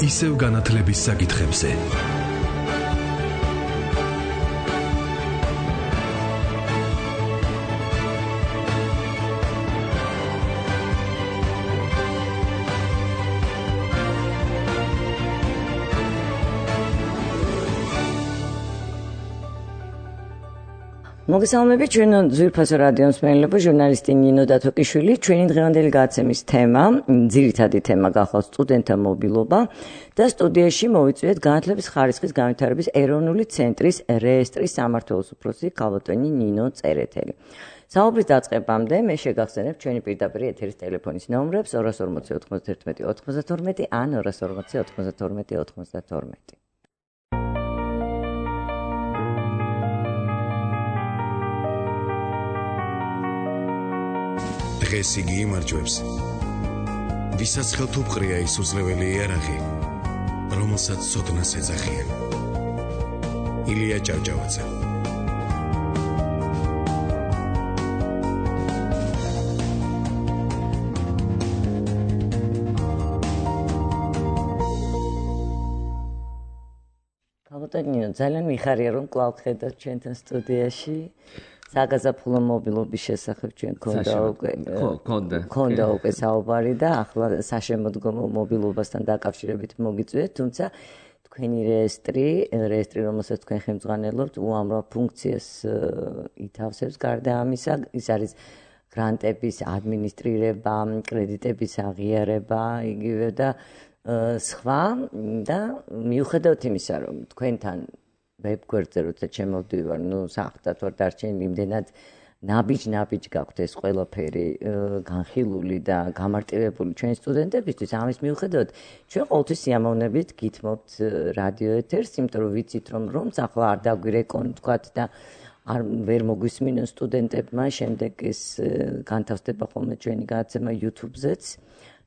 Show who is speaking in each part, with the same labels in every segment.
Speaker 1: ისევ განათლების საკითხებზე.
Speaker 2: მოგესალმებით ჩვენ ძვირფასო რადიო მსმენელებო, ჟურნალისტი ნინო დათოკიშვილი. ჩვენი დღევანდელი გადაცემის თემა, ძირითადი თემა გახლავთ სტუდენტთა მობილობა და სტუდიაში მოვიწვიეთ განათლების ხარისხის განვითარების ეროვნული ცენტრის რეესტრის სამმართველოს უფროსი ქალბატონი ნინო წერეთელი. საუბრის დაწყებამდე მე შეგახსენებ ჩვენი პირდაპირ ეთერის ტელეფონის ნომრებს 240 91 92 ან 240 92 92.
Speaker 1: დღეს იგი იმარჯვებს, ვისაც ხელთუპყრია ის უძლეველი იარაღი, რომელსაც ცოდნას ეძახიან. ილია ჭავჭავაძე.
Speaker 2: ქალბატონი, ძალიან მიხარია რომ კვლავ ხედავთ ჩვენთან სტუდიაში. საგაზაფხულო მობილობის შესახებ ჩვენ ქონდა უკვე საუბარი და ახლა საშემოდგომო მობილობასთან დაკავშირებით მოგიწვიეთ, თუმცა თქვენი რეესტრი, რომელსაც თქვენ ხელმძღვანელობთ, უამრავ ფუნქციას ითავსებს. გარდა ამისა, ის არის გრანტების ადმინისტრირება, კრედიტების აღიარება, იგივე და სხვა და მიუხედავად იმისა, რომ თქვენთან ვებგვერდზე როცა ჩემოვდივარ, საერთოდ ვარ დარჩენილი, იმდენად ნაბიჯ გაქვთ ეს ყველაფერი განხილული და გამარტივებული ჩვენი სტუდენტებისთვის. ამის მიუხედავად ჩვენ ყოველთვის სიამოვნებით გითმობთ რადიო ეთერს, იმიტომ რომ ვიცით რომ ახლა არ დაგვირეკონ თქვათ და არ ვერ მოგვისმინონ სტუდენტებმა, შემდეგ ეს განთავსდება ხოლმე ჩვენი გადაცემა YouTube-ზეც.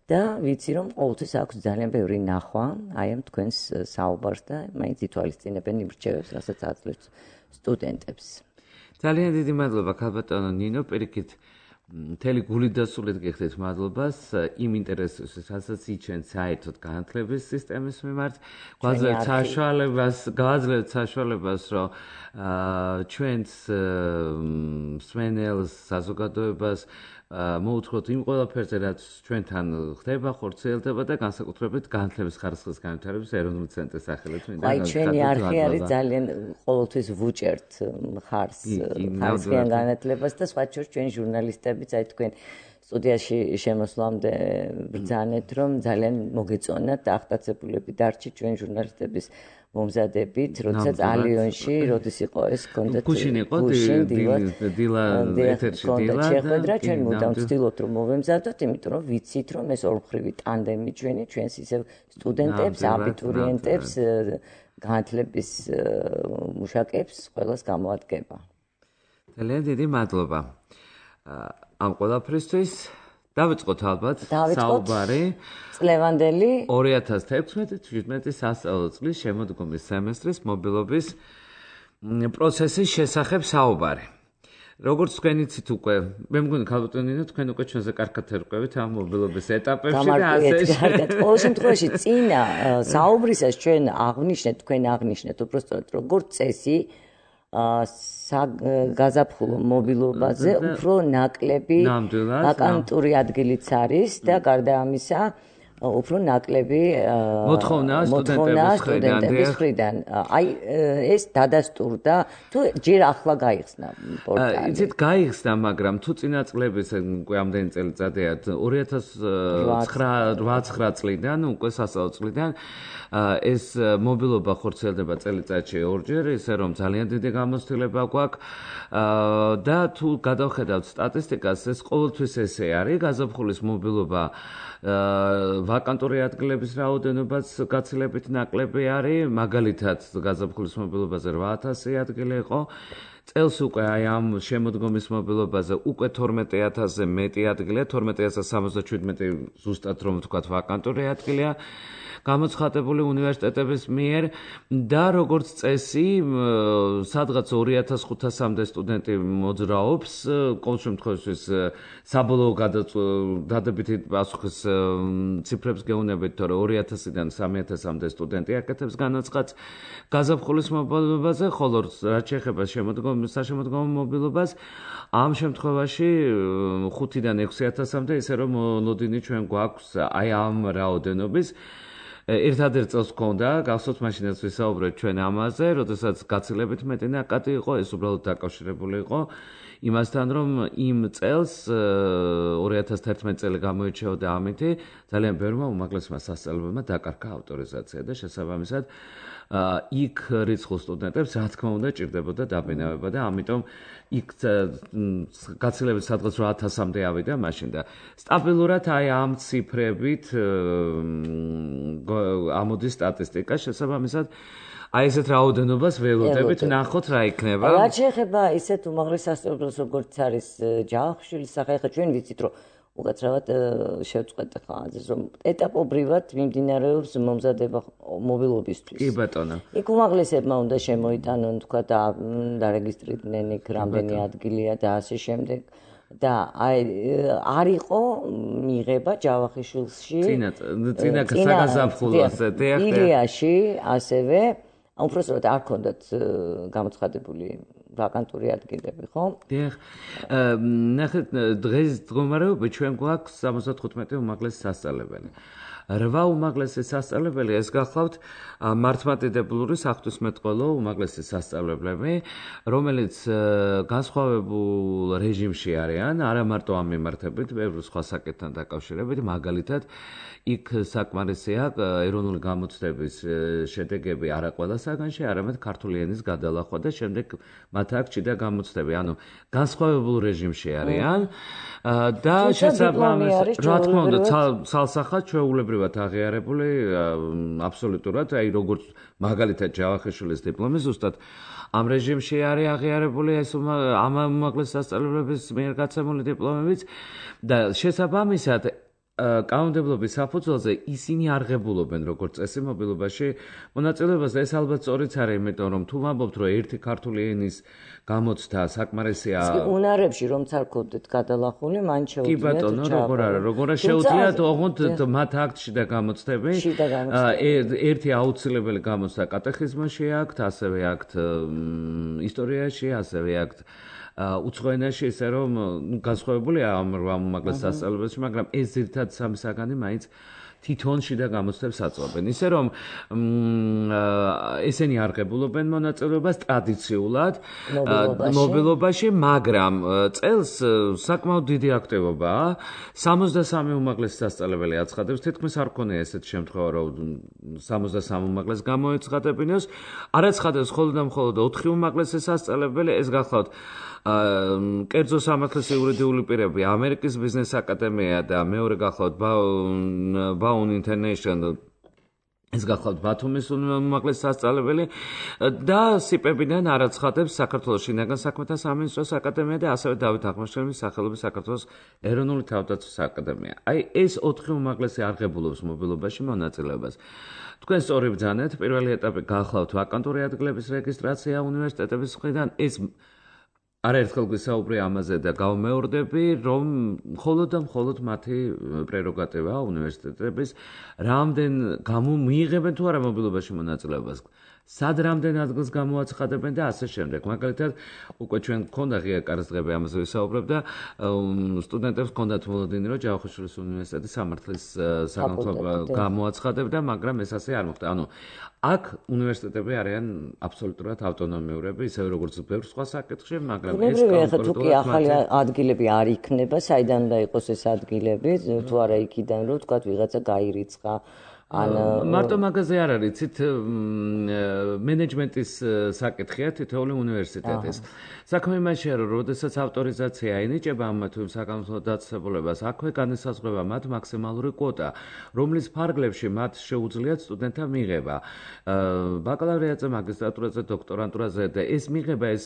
Speaker 2: და ვიცი რომ ყოველთვის აქვს ძალიან ბევრი ნახვა აი ამ თქვენს საუბარს და მაინც ითვალისწინებენ იმ რჩევებს, რასაც აძლევთ სტუდენტებს.
Speaker 3: ძალიან დიდი მადლობა ქალბატონო ნინო, პირიქით მთელი გულით და სულით გიხდით მადლობას იმ ინტერესისთვის, რასაც იჩენთ საერთოდ განათლების სისტემის მიმართ. გავაძლევთ საშუალებას, რომ ჩვენს მსმენელს, საზოგადოებას მოუთხოთ იმ ყველაფერზე, რაც ჩვენთან ხდება, ხორციელდება და განსაკუთრებით განათლების ხარისხის განვითარების ეროვნული ცენტრის სახელით.
Speaker 2: აი ჩვენი არხი არის ძალიან ყოველთვის ვუჭერთ ხარისხიან განათლებას და სხვა შორის ჩვენი ჟურნალისტებიც აი თქვენ სტუდიაში შემოსვლამდე ბრძანეთ, რომ ძალიან მოგეწონათ და აღტაცებულები დარჩით ჩვენ ჟურნალისტების მომზადებით, როდესაც ალიონში, როდის იყო ეს კონდეთ
Speaker 3: გუშინ იყო დილა ეთერში დილა
Speaker 2: შეხვედრა, ჩვენ მუდამ ვცდილობთ რომ მოვემზადოთ, იმიტომ რომ ვიცით რომ ეს ორმხრივი ტანდემი ჩვენს ისევ სტუდენტებს, აბიტურიენტებს, განათლების მუშაკებს ყველას გამოადგება.
Speaker 3: ძალიან დიდი მადლობა ამ ყველაფრისთვის. დავიწყოთ ალბათ საუბარი
Speaker 2: წლევანდელი
Speaker 3: 2016-17 სასწავლო წლის შემოდგომის სემესტრის მობილობის პროცესის შესახებ საუბარი. როგორც თქვენ იცით უკვე, მე მგონი ქალბატონი ნინო, თქვენ უკვე ჩვენზე კარგად ერკვევით ამ მობილობის ეტაპებში და ასე.
Speaker 2: ყოველ შემთხვევაში წინა საუბრისას ჩვენ აღნიშნეთ უბრალოდ როგორც წესი გაზაფხულო მობილობაზე უფრო ნაკლები ვაკანტური ადგილიც არის და გარდა ამისა უფრო ნაკლები
Speaker 3: მოთხოვნა სტუდენტების მხრიდან.
Speaker 2: აი ეს დადასტურდა თუ ჯერ ახლა გაიხსნა პორტალი.
Speaker 3: იცით გაიხსნა, მაგრამ თუ წინა წლების უკვე ამდენი წელიწადია 2008-9 წლიდან უკვე სასწავლო წლიდან ეს მობილობა ხორციელდება წელიწადში ორჯერ, ისე რომ ძალიან დიდი გამოცდილება გვაქვს და თუ გადავხედავთ სტატისტიკას, ეს ყოველთვის ესე არის, გაზაფხულის მობილობა ვაკანტური ადგილების რაოდენობაც გაცილებით ნაკლები არის, მაგალითად გაზაფხულის მობილობაზე 8000 ადგილი იყო. წელს უკვე აი ამ შემოდგომის მობილობაზე უკვე 12000-ზე მეტი ადგილია, 12077 ზუსტად რომ ვთქვათ ვაკანტური ადგილია. გამოცხადებული უნივერსიტეტების მიერ და როგორც წესი, სადღაც 2500-მდე სტუდენტი მოძრაობს, ყოველ შემთხვევაში საბოლოო დადებითი პასუხის ციფრებს გეუბნებით, თორე 2000-დან 3000-მდე სტუდენტი აკეთებს განაცხადს გაზაფხულის მობილობაზე, ხოლო რაც შეეხება საშემოდგომო მობილობას, ამ შემთხვევაში 5-დან 6000-მდე, ისე რომ ლოდინი ჩვენ გვაქვს აი ამ რაოდენობის. ერთადერთ წელს გქონდა, გახსოვთ მაშინაც ვისაუბრეთ ჩვენ ამაზე, როდესაც გაცილებით მეტი ნაკადი იყო, ეს უბრალოდ დაკავშირებული იყო იმასთან, რომ იმ წელს 2011 წელი გამოირჩეოდა ამითი, ძალიან ბევრმა უმაღლესმა სასწავლებელმა დაკარგა ავტორიზაცია და შესაბამისად იქ რიცხულ სტუდენტებს რა თქმა უნდა ჭირდებოდა დაბინავება და ამიტომ იქ გაცილებით სადღაც 8000-მდე ავიდა მაშინ და სტაბილურად აი ამ ციფრებით ამოდის სტატისტიკა შესაბამისად აი ესეთ რაოდენობას ველოდებით ნახოთ რა იქნება.
Speaker 2: რაც შეეხება ისეთ უმაღლეს სასწავლებელს როგორც არის ჯავახიშვილის სახე, ხა ჩვენ ვიცით რომ უკაცრავად შევწყვეტ ხა ამას რომ ეტაპობრივად მიმდინარეობს მომზადება მობილობისთვის.
Speaker 3: კი ბატონო.
Speaker 2: იქ უმაღლესებმა უნდა შემოიტანონ თქვა და დარეგისტრირდნენ იქ რამდენი ადგილია და ასე შემდეგ. და აი არ იყო მიღება ჯავახიშვილში
Speaker 3: წინა საგაზაფხულოზე
Speaker 2: ილიაში ასევე უბრალოდ არ ქონდათ გამოცხადებული ვაკანტური ადგილები, ხო?
Speaker 3: დიახ. ნახეთ, დღეს მდგომარეობა ჩვენ გვაქვს 75 უმაღლესი სასწავლებელი. 8 უმაღლესი სასწავლებელი ეს გახლავთ მართლმადიდებლური საღვთისმეტყველო უმაღლესი სასწავლებლები, რომელიც განსხვავებულ რეჟიმში არიან, არა მარტო ამ მიმართებით, ბევრ სხვა საკითხთან დაკავშირებით, მაგალითად იქ საკმარისია ეროვნული გამოცდების შედეგები არა ყველა საგანში, არამედ ქართული ენის გადალახვა და შემდეგ მათ აქ ჭიდა გამოცდები. ანუ განსხვავებულ რეჟიმში არიან და შესაბამისად, რა თქმა უნდა, ცალსახად ჩვეულებრივად აღიარებული აბსოლუტურად, აი როგორც მაგალითად ჯავახიშვილის დიპლომი ზუსტად ამ რეჟიმში არის აღიარებული ეს ამ უმაღლეს სასწავლებლების მიერ გაცემული დიპლომებიც და შესაბამისად კანონმდებლობის საფუძველზე ისინი არღებულობენ როგორც წესი მობილობაში მონაწილეობას და ეს ალბათ სწორიც არის, იმიტომ რომ თუ ვამბობთ რომ ერთი ქართული ენის გამოცდა საკმარისია
Speaker 2: უნარებში რომც არ გქონდეთ გადალახული, მან შეუძლიათ
Speaker 3: კი ბატონო, როგორ არა, როგორ შეუძლიათ ოღონდ მათ აქტში და გამოცდები ერთი აუცილებელი გამოცდა კატეხიზმში აქვთ, ასევე აქვთ ისტორიაში, ასევე აქვთ უცხოენაში, ისე რომ განსხვავებულია ამ უმაღლეს სასწავლებელში, მაგრამ ეს ძირითადად სამი საგანი მაინც თვითონ შიდა გამოცდებს აწვავენ. ისე რომ ესენი არღებულობენ მონაწილეობას ტრადიციულად მობილობაში, მაგრამ წელს საკმაოდ დიდი აქტივობაა. 63 უმაღლესი სასწავლებელი აცხადებს, თითქმის არ ქონია ესეთი შემთხვევა, რომ 63 უმაღლეს გამოეცხადებინოს. არ აცხადებს მხოლოდ და მხოლოდ 4 უმაღლესი სასწავლებელი, ეს გახლავთ კერძო სამართლის იურიდიული პირები, ამერიკის ბიზნეს აკადემია და მეორე გახლავთ Baum International, ეს გახლავთ ბათუმის უმაღლესი სასწავლებელი და სიპებიდან არ აცხადებს საქართველოს შინაგან საქმეთა სამინისტროს აკადემია და ასევე დავით აღმაშენებლის სახელობის საქართველოს ეროვნული თავდაცვის აკადემია. აი ეს 4 უმაღლესი არღებულობს მობილობაში მონაწილეობას. თქვენ სწორი ბრძანეთ, პირველი ეტაპი გახლავთ ვაკანტური ადგილების რეგისტრაცია უნივერსიტეტების მხრიდან, ეს არაერთხელ გვისაუბრე ამაზე და გავმეორდები, რომ მხოლოდ და მხოლოდ მათი პრეროგატივაა უნივერსიტეტების, რამდენ მიიღებენ თუ არა მობილობაში მონაწილეობას, სად რამდენ ადგილს გამოაცხადებენ და ასე შემდეგ. მაგალითად, უკვე ჩვენ გქონდა ღია კარის დღეები ამაზე ვისაუბრებ და სტუდენტებს გქონდათ მოლოდინი, რომ ჯავახიშვილის უნივერსიტეტის სამართლის საგანმანათლებლო გამოაცხადებდა, მაგრამ ეს ასე არ მოხდა. ანუ აქ უნივერსიტეტები არიან აბსოლუტურად ავტონომიურები, ისევე როგორც ბევრ სხვა საკითხში, მაგრამ ეს
Speaker 2: თუ კი ახალი ადგილები არ იქნება, საიდან უნდა იყოს ეს ადგილები, თუ არა იქიდან რომ თქვა ვიღაცა გაირიცხა.
Speaker 3: მარტო მაგაზე არ არის, იცით, მენეჯმენტის საკითხია თითოეული უნივერსიტეტის. საქმე იმაშია, რომ როდესაც ავტორიზაცია ენიჭება ამ თუ საკანონმდებლო დაწესებულებას, აქვე განისაზღვრება მათ მაქსიმალური კვოტა, რომლის ფარგლებში მათ შეუძლიათ სტუდენტთა მიღება. ბაკალავრიატზე, მაგისტრატურაზე, დოქტორანტურაზე და ეს მიღება ეს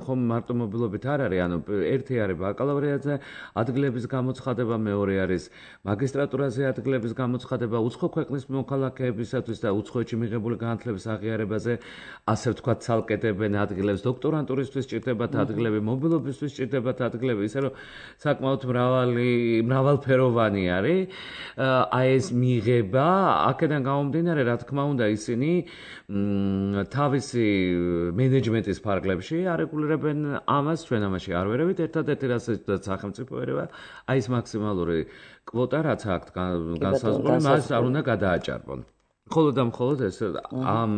Speaker 3: ხომ მარტო მობილობით არ არის, ანუ ერთი არის ბაკალავრიატზე ადგილების გამოცხადება, მეორე არის მაგისტრატურაზე ადგილების გამოცხადება, უცხო ქვეყნის მოქალაქეებისათვის და უცხოეთში მიღებული განათლების აღიარებაზე, ასე ვთქვათ, ცალკედებენ ადგილებს, დოქტორანტურისთვის სჭირდებათ ადგილები, მობილობისთვის სჭირდებათ ადგილები, ისე რომ საკმაოდ მრავალფეროვანი არის. აი ეს მიღება, აქედან გამომდინარე, რა თქმა უნდა, ისინი თავისი მენეჯმენტის ფარგლებში არეგულირებენ ამას, ჩვენ ამაში არ ვერევით, ერთადერთი რასაც სახელმწიფო ერევა, აი ეს მაქსიმალური კვოტა, რაც აქვს განსაზღვრული, მას არ უნდა გადააჭარბონ. მხოლოდ და მხოლოდ ეს ამ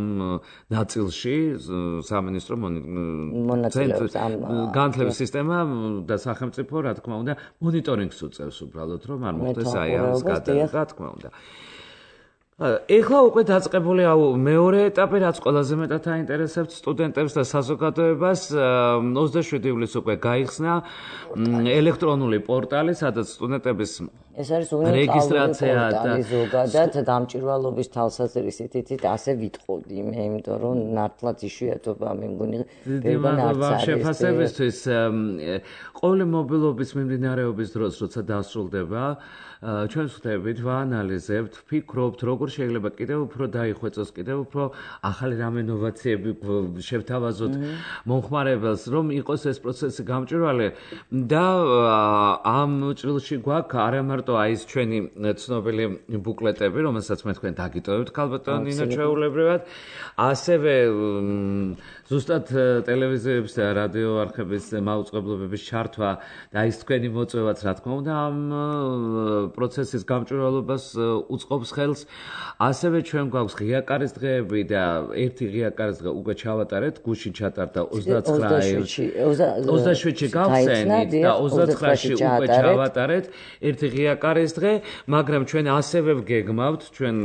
Speaker 3: ნაწილში სამინისტრო განათლების სისტემა და სახელმწიფო, რა თქმა უნდა, მონიტორინგს უწევს უბრალოდ, რომ არ მოხდეს აი ამის გადაღება, რა თქმა უნდა. ეხლა უკვე დაწყებული მეორე ეტაპი, რაც ყველაზე მეტად აინტერესებს სტუდენტებს და საზოგადოებას, 27 ივლისს უკვე გაიხსნა ელექტრონული პორტალი, სადაც სტუდენტების
Speaker 2: ეს არის რეგისტრაცია და ზოგადად გამჭვირვალობის თვალსაზრისით ასე ვიტყოდი მე, იმიტომ რომ ნართლად იშვიათობა მე მგონი ბევრგან არც არის.
Speaker 3: შეფასებისთვის ყოველი მობილობის მიმდინარეობის დროს, როცა დასრულდება, ჩვენ ვხვდებით, ვაანალიზებთ, ვფიქრობთ, როგორ შეიძლება კიდევ უფრო დაიხვეწოს, კიდევ უფრო ახალი რამე ინოვაციები შევთავაზოთ მომხმარებელს, რომ იყოს ეს პროცესი გამჭვირვალე და ამ ჭრილში გვაქვს არა მარტო აი ეს ჩვენი ცნობილი ბუკლეტები, რომელსაც მე თქვენ დაგიტოვებთ ქალბატონ ნინო ჩვეულებრივად, ასევე ზუსტად ტელევიზიების და რადიო არხების მაუწყებლობების ჩართვა და ის თქვენი მოწვევაც, რა თქმა უნდა, ამ პროცესის გამჭვირვალობას უწყობს ხელს. ასევე ჩვენ გვაქვს ღია კარის დღეები და ერთი ღია კარის დღე უკვე ჩავატარეთ, გუშინ ჩატარდა 27-ში გავხსენით და 29-ში უკვე ჩავატარეთ ერთი ღია კარის დღე, მაგრამ ჩვენ ასევე ვგეგმავთ ჩვენ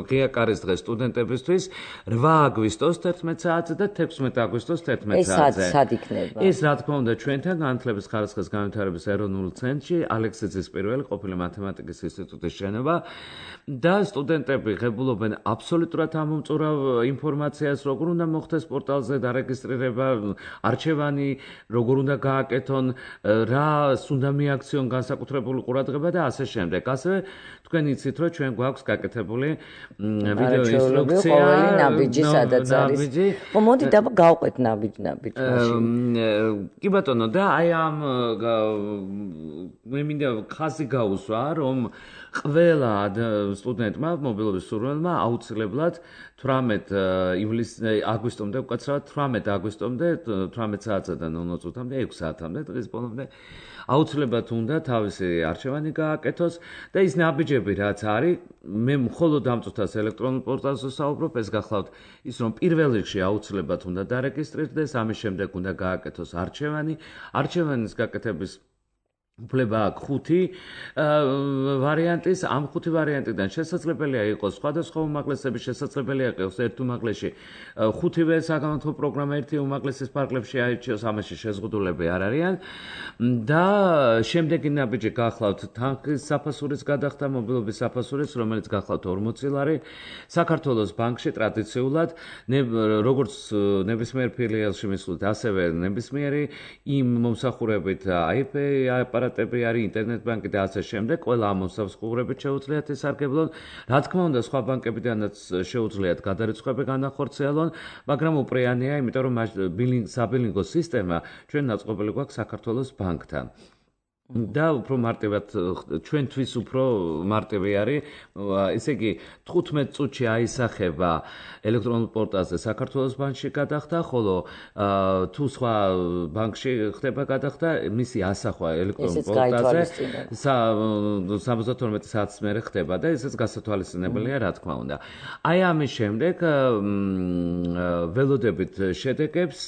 Speaker 3: ღია კარის დღე სტუდენტებისთვის 8 აგვისტოს 11 საათზე და 16 აგვისტოს 11 საათზე.
Speaker 2: ეს სად იქნება?
Speaker 3: ეს რა თქმა უნდა ჩვენთან განათლების ხარისხის განვითარების ეროვნულ ცენტრში, ალექსიძის პირველი ყოფილი მათემატიკის ინსტიტუტის შენობა და სტუდენტები ღებულობენ აბსოლუტურად ამომწურავ ინფორმაციას, როგორ უნდა მოხდეს პორტალზე დარეგისტრირება, არჩევანი, როგორ უნდა გააკეთონ, რას უნდა მიაქციონ განსაკუთრებული ყურადღება და ასე შემდეგ. ასევე თქვენ იცით, რომ ჩვენ გვაქვს გაკეთებული ვიდეო ინსტრუქცია,
Speaker 2: ყოველი ნაბიჯი სადაც არის. მოდი გავყვეთ ნაბიჯი მაშინ.
Speaker 3: კი ბატონო, და აი ამ მე მინდა ხაზი გაუსვა, რომ ყველა სტუდენტმა, მობილობის სურვილმა აუცილებლად 18 აგვისტომდე, უკაცრავად 18 აგვისტომდე, 18 საათიდან 00 წუთამდე, 6 საათამდე, დღის ბოლომდე აუცილებლად უნდა თავისი არჩევანი გააკეთოს და ის ნაბიჯები, რაც არის, მე მხოლოდ ამ წუთას ელექტრონულ პორტალზე ვსაუბრობ, ეს გახლავთ ის, რომ პირველ რიგში აუცილებლად უნდა დარეგისტრირდეს, ამის შემდეგ უნდა გააკეთოს არჩევანი, არჩევანის გაკეთების უფლება აქვს 5 ვარიანტის, ამ 5 ვარიანტიდან შესაძლებელია იყოს სხვადასხვა უმაღლესების, შესაძლებელია იყოს ერთ უმაღლესში 5-ვე საგანმანათლებლო პროგრამა ერთი უმაღლესის ფარგლებში აირჩიოს, ამაში შეზღუდულები არ არიან და შემდეგი ნაბიჯი გახლავთ თანხის საფასურის გადახდა, მობილობის საფასურის, რომელიც გახლავთ 40 ლარი, საქართველოს ბანკში ტრადიციულად, როგორც ნებისმიერ ფილიალში მისვლით, ასევე ნებისმიერი იმ მომსახურებით IP აპარატები არის, ინტერნეტ ბანკი და ასე შემდეგ, ყველა ამ მომსახურებით შეუძლიათ ესარგებლონ. რა თქმა უნდა, სხვა ბანკებიდანაც შეუძლიათ გადარიცხვები განახორციელონ, მაგრამ უპრეანია, იმიტომ რომ საბილინგო სისტემა ჩვენ დაწყობილი გვაქვს საქართველოს ბანკთან. და უფრო მარტივად ჩვენთვის უფრო მარტივი არის, ესე იგი 15 წუთში აისახება ელექტრონულ პორტალზე საქართველოს ბანკში გადახდა, ხოლო თუ სხვა ბანკში ხდება გადახდა, მისი ასახვა ელექტრონულ პორტალზე 72 საათის მერე ხდება და ესეც გასათვალისწინებელია, რა თქმა უნდა. აი ამის შემდეგ ველოდებით შედეგებს,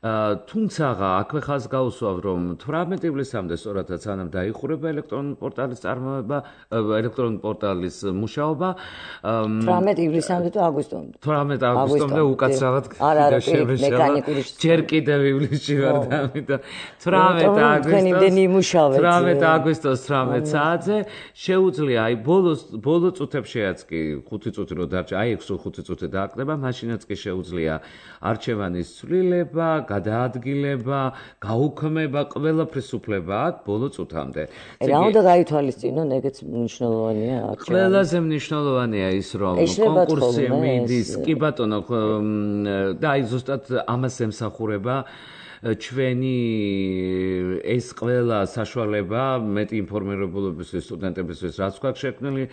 Speaker 3: თუმცა აქვე ხაზს გაუსვავ, რომ 18 ივლისამდე სწორადაც სანამ დაიხურება ელექტრონული პორტალის წარმოება, ელექტრონული პორტალის მუშაობა,
Speaker 2: 18 ივლისამდე თუ აგვისტომდე.
Speaker 3: 18 აგვისტომდე უკაცრავად
Speaker 2: მექანიკური
Speaker 3: ჯერ კიდევ ივლისში ვარ და ამიტომ 18 აგვისტოს 18 საათზე შეუძლია, აი ბოლო წუთებშიაც კი 5 წუთი რო დარჩა, აი 6 5 წუთი დააკდება, მაშინაც კი შეუძლია არჩევანის ცვლილება, გადაადგილება, გაუქმება, ყველაფრის უფლება აქვს ბოლო წუთამდე.
Speaker 2: რა უნდა გაითვალისწინონ, ეგეც მნიშვნელოვანია არჩევანი.
Speaker 3: ყველაზე მნიშვნელოვანია ის, რომ კონკურსი მიდის, კი ბატონო, და აი ზუსტად ამას ემსახურება ჩვენი ეს ყველა საშუალება მეტი ინფორმირებულობისთვის სტუდენტებისთვის რაც გვაქვს შექმნილი,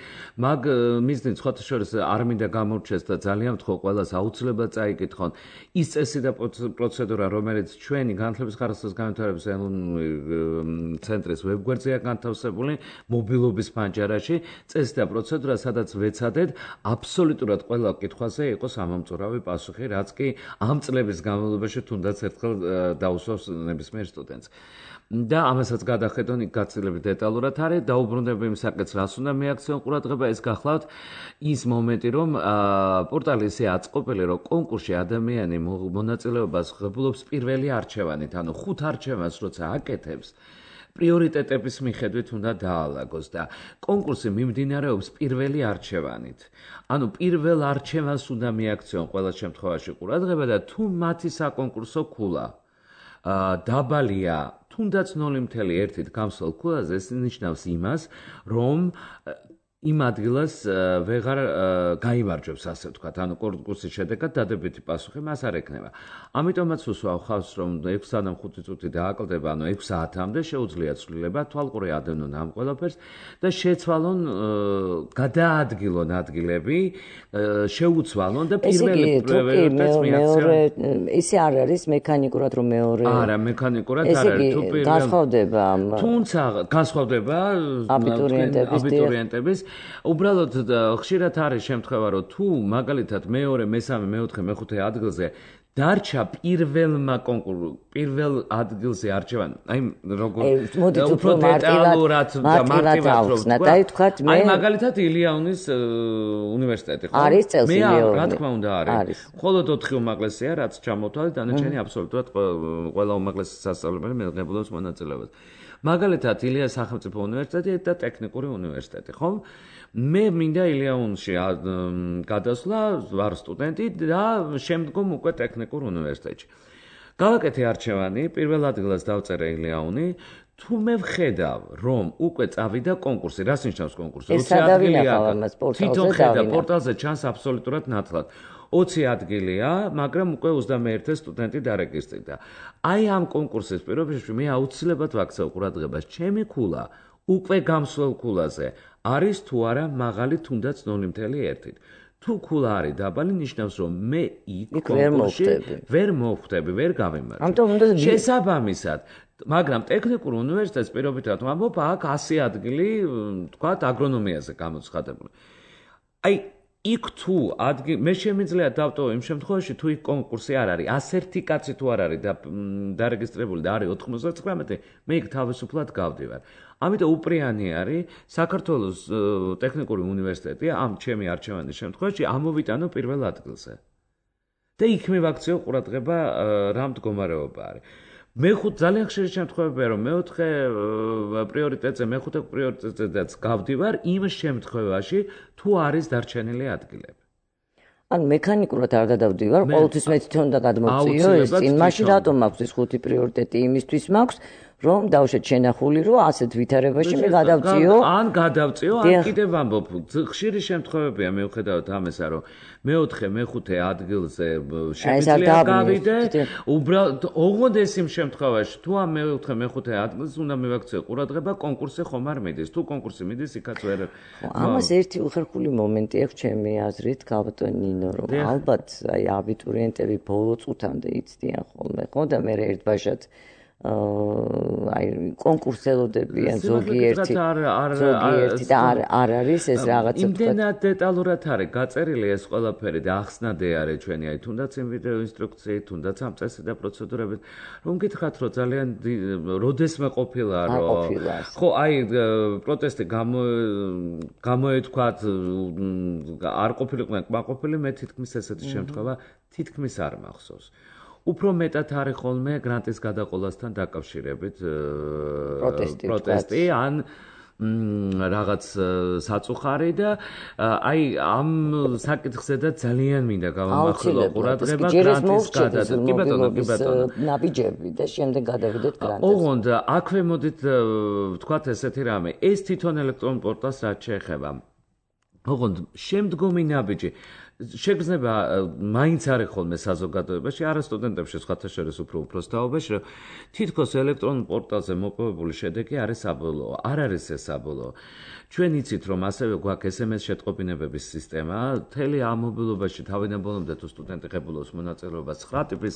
Speaker 3: მაგ მიზნით სხვათა შორის არ მინდა გამორჩეს და ძალიან ვთხოვ ყველას აუცილებლად წაიკითხონ ის წესი და პროცედურა, რომელიც ჩვენი განათლების ხარისხის განვითარების ცენტრის ვებგვერდზეა განთავსებული მობილობის ფანჯარაში, წესი და პროცედურა, სადაც ვეცადეთ აბსოლუტურად ყველა კითხვაზე იყოს ამომწურავი პასუხი, რაც კი ამ წლების განმავლობაში თუნდაც ერთხელ დაუსვავს ნებისმიერ სტუდენტს. და ამასაც გადახედონ იქ გაცილებით დეტალურად არის, დაუბრუნდები იმ საკითხს, რას უნდა მიაქციონ ყურადღება, ეს გახლავთ ის მომენტი, რომ პორტალი ისე აწყობილი, რომ კონკურსში ადამიანი მონაწილეობას ღებულობს პირველი არჩევანით, ანუ 5 არჩევანს როცა აკეთებს, პრიორიტეტების მიხედვით უნდა დაალაგოს და კონკურსი მიმდინარეობს პირველი არჩევანით. ანუ პირველ არჩევანს უნდა მიაქციონ ყველა შემთხვევაში ყურადღება და თუ მათი საკონკურსო ქულა დაბალია თუნდაც 0.1-ით გამსვლელ ქულაზე, ეს ნიშნავს იმას, რომ იმ ადგილას ვეღარ გაიმარჯვებს, ასე ვთქვათ, ანუ კონკურსის შედეგად დადებითი პასუხი მას არ ექნება. ამიტომაც უსვავ ხავს, რომ 6-დან 5 წუთი დააკლდება, ანუ 6 საათამდე შეუძლია ცვლილება, თვალყური ადევნონ ამ ყველაფერს და შეცვალონ, გადაადგილონ ადგილები, შეუცვალონ და პირველი პრიორიტეტს მიაქციონ.
Speaker 2: ისე არ არის მექანიკურად, რომ მეორე.
Speaker 3: არა, მექანიკურად არ არის, თუ პირველი
Speaker 2: განსხვავდება.
Speaker 3: თუმცა განსხვავდება აბიტურიენტების უბრალოდ ხშირად არის შემთხვევა, რომ თუ მაგალითად მეორე, მესამე, მეოთხე, მეხუთე ადგილზე დარჩა პირველ ადგილზე არჩევანი, აი როგორ უფრო დეტალურად და მარტივად
Speaker 2: ვთქვათ,
Speaker 3: აი მაგალითად ილიაუნის უნივერსიტეტი, ხო?
Speaker 2: არის წელს
Speaker 3: ილიაუნის. რა თქმა უნდა არის. მხოლოდ 4 უმაღლესია, რაც ჩამოთვალეთ, დანარჩენი აბსოლუტურად ყველა უმაღლესი სასწავლებელი მიიღებულობს მონაწილეობას. მაგალითად ილიას სახელმწიფო უნივერსიტეტი და ტექნიკური უნივერსიტეტი, ხო? მე მინდა ილიაუნში გადასვლა, ვარ სტუდენტი და შემდგომ უკვე ტექნიკურ უნივერსიტეტში. გავაკეთე არჩევანი, პირველ ადგილას დავწერე ილიაუნი, თუ მე ვხედავ, რომ უკვე წავიდა კონკურსი, რას ნიშნავს კონკურსი? 20 ადგილია, თვითონ ხედავ, პორტალზე ჩანს აბსოლუტურად ნათლად. 20 ადგილია, მაგრამ უკვე 21 სტუდენტი დარეგისტრირდა. აი ამ კონკურსის პირობებში მე აუცილებლად ვაქცევ ყურადღებას, ჩემი ქულა უკვე გამსვლელ ქულაზე არის თუ არა მაღალი თუნდაც 0.1-ით. თუ ქულა არის დაბალი, ნიშნავს, რომ მე იქ კონკურსში ვერ მოვხვდები, ვერ გავიმარჯვებ. შესაბამისად, მაგრამ ტექნიკურ უნივერსიტეტს პირობითად ვამბობ, აქ 100 ადგილი, თქვათ, აგრონომიაზე გამოცხადებული. აი იქ თუ მე შემიძლია დავტოვო იმ შემთხვევაში, თუ იქ კონკურსი არ არის, 101 კაცი თუ არ არის დარეგისტრირებული და არის 99, მე იქ თავისუფლად გავდივარ. ამიტომ უპრიანი არის საქართველოს ტექნიკური უნივერსიტეტი ამ ჩემი არჩევანის შემთხვევაში ამოვიტანო პირველ ადგილზე. და იქ მივაქციო ყურადღება რა მდგომარეობა არის. ძალიან ხშირი შემთხვევებია, რომ მეოთხე პრიორიტეტზე, მეხუთე პრიორიტეტზეც გავდივარ იმ შემთხვევაში, თუ არის დარჩენილი ადგილები.
Speaker 2: ანუ მექანიკურად არ გადავდივარ, ყოველთვის მე თვითონ უნდა გადმოვწიო ეს წინ, მაშინ რატომ მაქვს ეს 5 პრიორიტეტი? იმისთვის მაქვს, რომ დავუშვათ შენახული, რომ ასეთ ვითარებაში მე გადავწიო.
Speaker 3: ან გადავწიო, ან კიდევ ვამბობ, ხშირი შემთხვევებია მიუხედავად ამისა, რომ მეოთხე, მეხუთე ადგილზე შემიძლია გავიდე, უბრალოდ ოღონდ ეს იმ შემთხვევაში, თუ ამ მეოთხე, მეხუთე ადგილს უნდა მივაქციო ყურადღება, კონკურსი ხომ არ მიდის. თუ კონკურსი მიდის, იქაც ვერ.
Speaker 2: ამას ერთი უხერხული მომენტი აქვს ჩემი აზრით, გაბატონ ნინო, რომ ალბათ აი აბიტურიენტები ბოლო წუთამდე იცდიან ხოლმე, ხო და მე ერთბაშად აი კონკურსელოდებიან ზოგიერთი და არ არის ეს რაღაცა
Speaker 3: იმდენად დეტალურად არის გაწერილი ეს ყველაფერი და ახსნადე არის ჩვენი აი თუნდაც იმ ვიდეო ინსტრუქციით, თუნდაც ამ წესი და პროცედურებით, რომ გითხრათ, რომ ძალიან როდესმე ყოფილა, რომ ხო აი პროტესტი გამოეთქვათ, არ ყოფილიყვნენ კმაყოფილი, მე თითქმის ესეთი შემთხვევა თითქმის არ მახსოვს. უფრო მეტად არის ხოლმე გრანტის გადაყოლასთან დაკავშირებით პროტესტი, ან რაღაც საწუხარი და აი ამ საკითხზე და ძალიან მინდა გავამახვილო ყურადღება გრანტის გადადგმა. კი ბატონო, კი ბატონო.
Speaker 2: ნაბიჯები და შემდეგ გადავიდეთ გრანტს.
Speaker 3: ოღონდ აქვე მოდით ვთქვათ ესეთი რამე, ეს თვითონ ელექტრონულ პორტალს რაც შეეხება. ოღონდ შემდგომი ნაბიჯი შეგრძნება მაინც არის ხოლმე საზოგადოებაში, არა სტუდენტებში, სხვათა შორის უფრო უბრალოდ რომ თითქოს ელექტრონულ პორტალზე მოპოვებული შედეგი არის საბოლოო. არ არის ეს საბოლოო. ჩვენ იცით, რომ ასევე გვაქვს SMS შეტყობინებების სისტემა, მთელი ამ მობილობაში თავიდანვე თუ სტუდენტი ღებულობს მონაწილეობას 9 ტიპის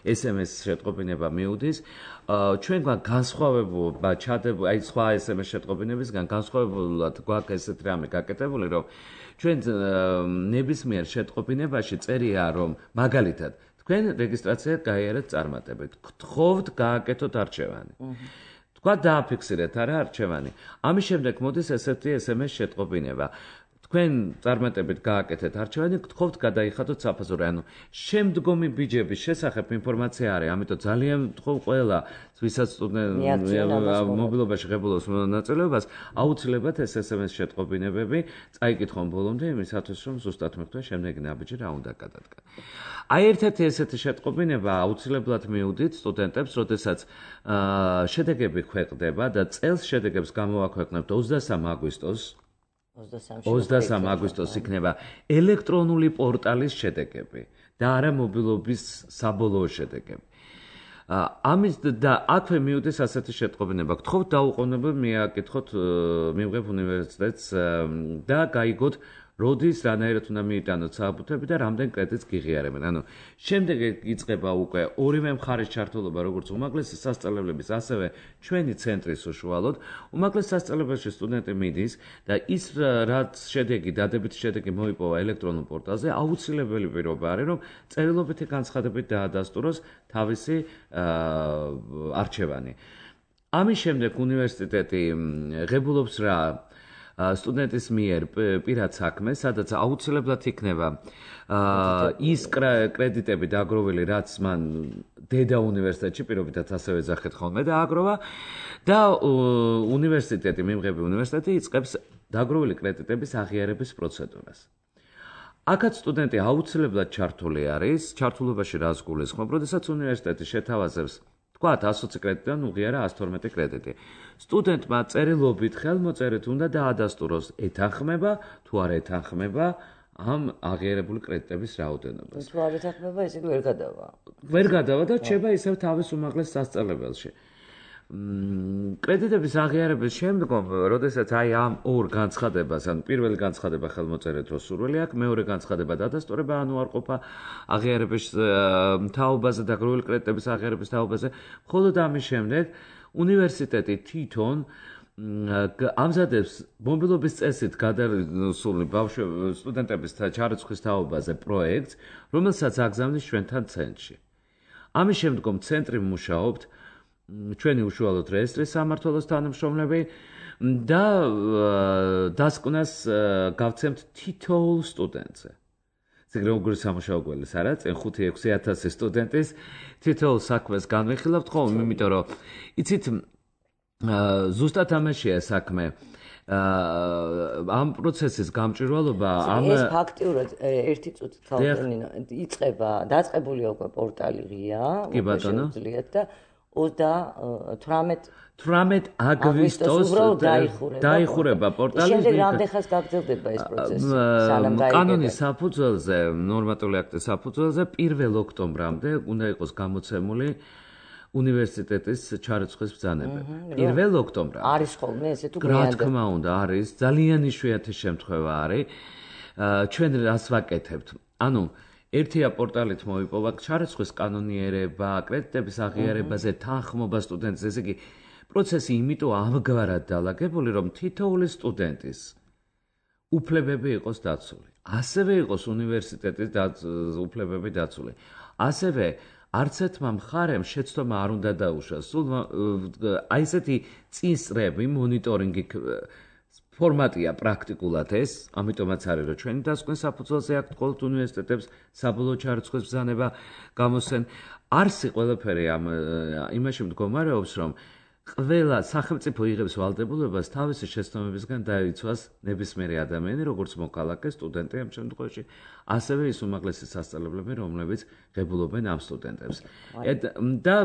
Speaker 3: SMS შეტყობინება მიუდის. ჩვენ გვაქვს განსხვავება ჩადებული, აი სხვა SMS შეტყობინებისგან განსხვავებულად გვაქვს ესეთ რამე გაკეთებული, რომ ჩვენ ნებისმიერ შეტყობინებაში წერია, რომ მაგალითად თქვენ რეგისტრაციად გაიარეთ წარმატებით, გთხოვთ გააკეთოთ არჩევანი. თქვა დააფიქსირეთ არა არჩევანი. ამის შემდეგ მოდის ესეთი SMS შეტყობინება. თქვენ წარმატებით გააკეთეთ არჩევანი, გთხოვთ გადაიხადოთ საფაზური. ანუ შემდგომი ბიჯების შესახებ ინფორმაცია არის, ამიტომ ძალიან ვთხოვ ყველა, ვისაც მობილობაში ღებულობს მონაწილეობას, აუცილებლად ეს SMS შეტყობინებები წაიკითხონ ბოლომდე იმისათვის, რომ ზუსტად მეთქვა შემდეგი ნაბიჯი რა უნდა გადადგა. აი ერთ-ერთი ესეთი შეტყობინება აუცილებლად მიუდით სტუდენტებს, როდესაც შედეგები ქვეყნდება და წელს შედეგებს გამოვაქვეყნებთ 23 აგვისტოს 23 აგვისტოს იქნება ელექტრონული პორტალის შედეგები და არა მობილობის საბოლოო შედეგები. ამის და აქვე მიუდეს ასეთი შეტყობინება. გთხოვთ დაუყოვნებლივ მიაკითხოთ მივღებ უნივერსიტეტს და გაიგოთ როდის რანაირად უნდა მიიტანოთ საბუთები და რამდენ კრედიტს გიღიარებენ. ანუ შემდეგ იწყება უკვე ორივე მხარის ჩართულობა, როგორც უმაღლესი სასწავლებლების, ასევე ჩვენი ცენტრის უშუალოდ. უმაღლეს სასწავლებელში სტუდენტი მიდის და ის რაც შედეგი, დადებითი შედეგი მოიპოვა ელექტრონულ პორტალზე, აუცილებელი პირობა არის, რომ წერილობითი განცხადებით დაადასტუროს თავისი არჩევანი. ამის შემდეგ უნივერსიტეტი ღებულობს რა სტუდენტის მიერ პირად საქმე, სადაც აუცილებლად იქნება ის კრედიტები დაგროვილი, რაც მან დედა უნივერსიტეტში პირობითად ასევე ეძახეთ ხოლმე დააგროვა და უნივერსიტეტი, მიმღები უნივერსიტეტი იწყებს დაგროვილი კრედიტების აღიარების პროცედურას. აქაც სტუდენტი აუცილებლად ჩართული არის, ჩართულობაში რას გულისხმობ, როდესაც უნივერსიტეტი შეთავაზებს თქვათ 120 კრედიტიდან უღიარა 112 კრედიტი. სტუდენტმა წერილობით ხელმოწერით უნდა დაადასტუროს ეთანხმება თუ არ ეთანხმება ამ აღიარებული კრედიტების რაოდენობას.
Speaker 2: თუ არ ეთანხმება, ესე იგი ვერ გადავა.
Speaker 3: ვერ გადავა და რჩება ისევ თავის უმაღლეს სასწავლებელში. კრედიტების აღიარების შემდგომ, როდესაც აი ამ ორ განცხადებას, ანუ პირველი განცხადება ხელმოწერით რო სურვილი აქვს, მეორე განცხადება დადასტურება, ანუ არ ყოფა აღიარების თაობაზე და გროვილი კრედიტების აღიარების თაობაზე, მხოლოდ ამის შემდეგ უნივერსიტეტი თვითონ ამზადებს მობილობის წესით გადასული სტუდენტების ჩარიცხვის თაობაზე პროექტს, რომელსაც აგზავნის ჩვენთან ცენტრში. ამის შემდგომ ცენტრი მუშაობთ ჩვენი უშუალოდ რეესტრის სამმართველოს თანამშრომლები და დასკვნას გავცემთ თითოეულ სტუდენტზე. ზეგრე უგური სამუშაო გველის არა, წინ 5-6 სტუდენტის თითოეულ საქმეს განვიხილავთ ხოლმე, იმიტომ რომ იცით ზუსტად ამაშია საქმე. ამ პროცესის გამჭვირვალობა
Speaker 2: ეს ფაქტიურად ერთი წუთით ხალხინო იწყება, დაწყებულია უკვე პორტალი ღია, უკვე შეუძლიათ და 18 აგვისტოს დაიხურება პორტალი.
Speaker 3: შემდეგ
Speaker 2: რამდენ ხანს გაგრძელდება ეს პროცესი? სანამ გაიგება.
Speaker 3: კანონის საფუძველზე, ნორმატიული აქტის საფუძველზე 1 ოქტომბრამდე უნდა იყოს გამოცემული უნივერსიტეტის ჩარიცხვის ბრძანებები. 1 ოქტომბრამდე.
Speaker 2: არის ხოლმე ესე თუ
Speaker 3: რა თქმა უნდა, არის, ძალიან იშვიათი შემთხვევა არის. ჩვენ რას ვაკეთებთ? ანუ ერთია პორტალით მოიპოვა ჩარიცხვის კანონიერება, კრედიტების აღიარებაზე თანხმობა სტუდენტს, ესე იგი პროცესი იმიტომ ამგვარად დალაგებული, რომ თითოეული სტუდენტის უფლებები იყოს დაცული. ასევე იყოს უნივერსიტეტის უფლებები დაცული. ასევე არც ერთმა მხარემ შეცდომა არ უნდა დაუშვას. სულ აი ესეთი წინსწრები, მონიტორინგი ფორმატია პრაქტიკულად ეს, ამიტომაც არის რომ ჩვენი დასკვნის საფუძველზე აქვთ ყოველთ უნივერსიტეტებს საბოლოო ჩარიცხვის ბრძანება გამოსცენ. არსი ყველაფერი იმაში მდგომარეობს, რომ ყველა სახელმწიფო იღებს ვალდებულებას თავისი შეცდომებისგან დაიცვას ნებისმიერი ადამიანი, როგორც მოქალაქე, სტუდენტი ამ შემთხვევაში, ასევე ის უმაღლესი სასწავლებლები, რომლებიც ღებულობენ ამ სტუდენტებს. და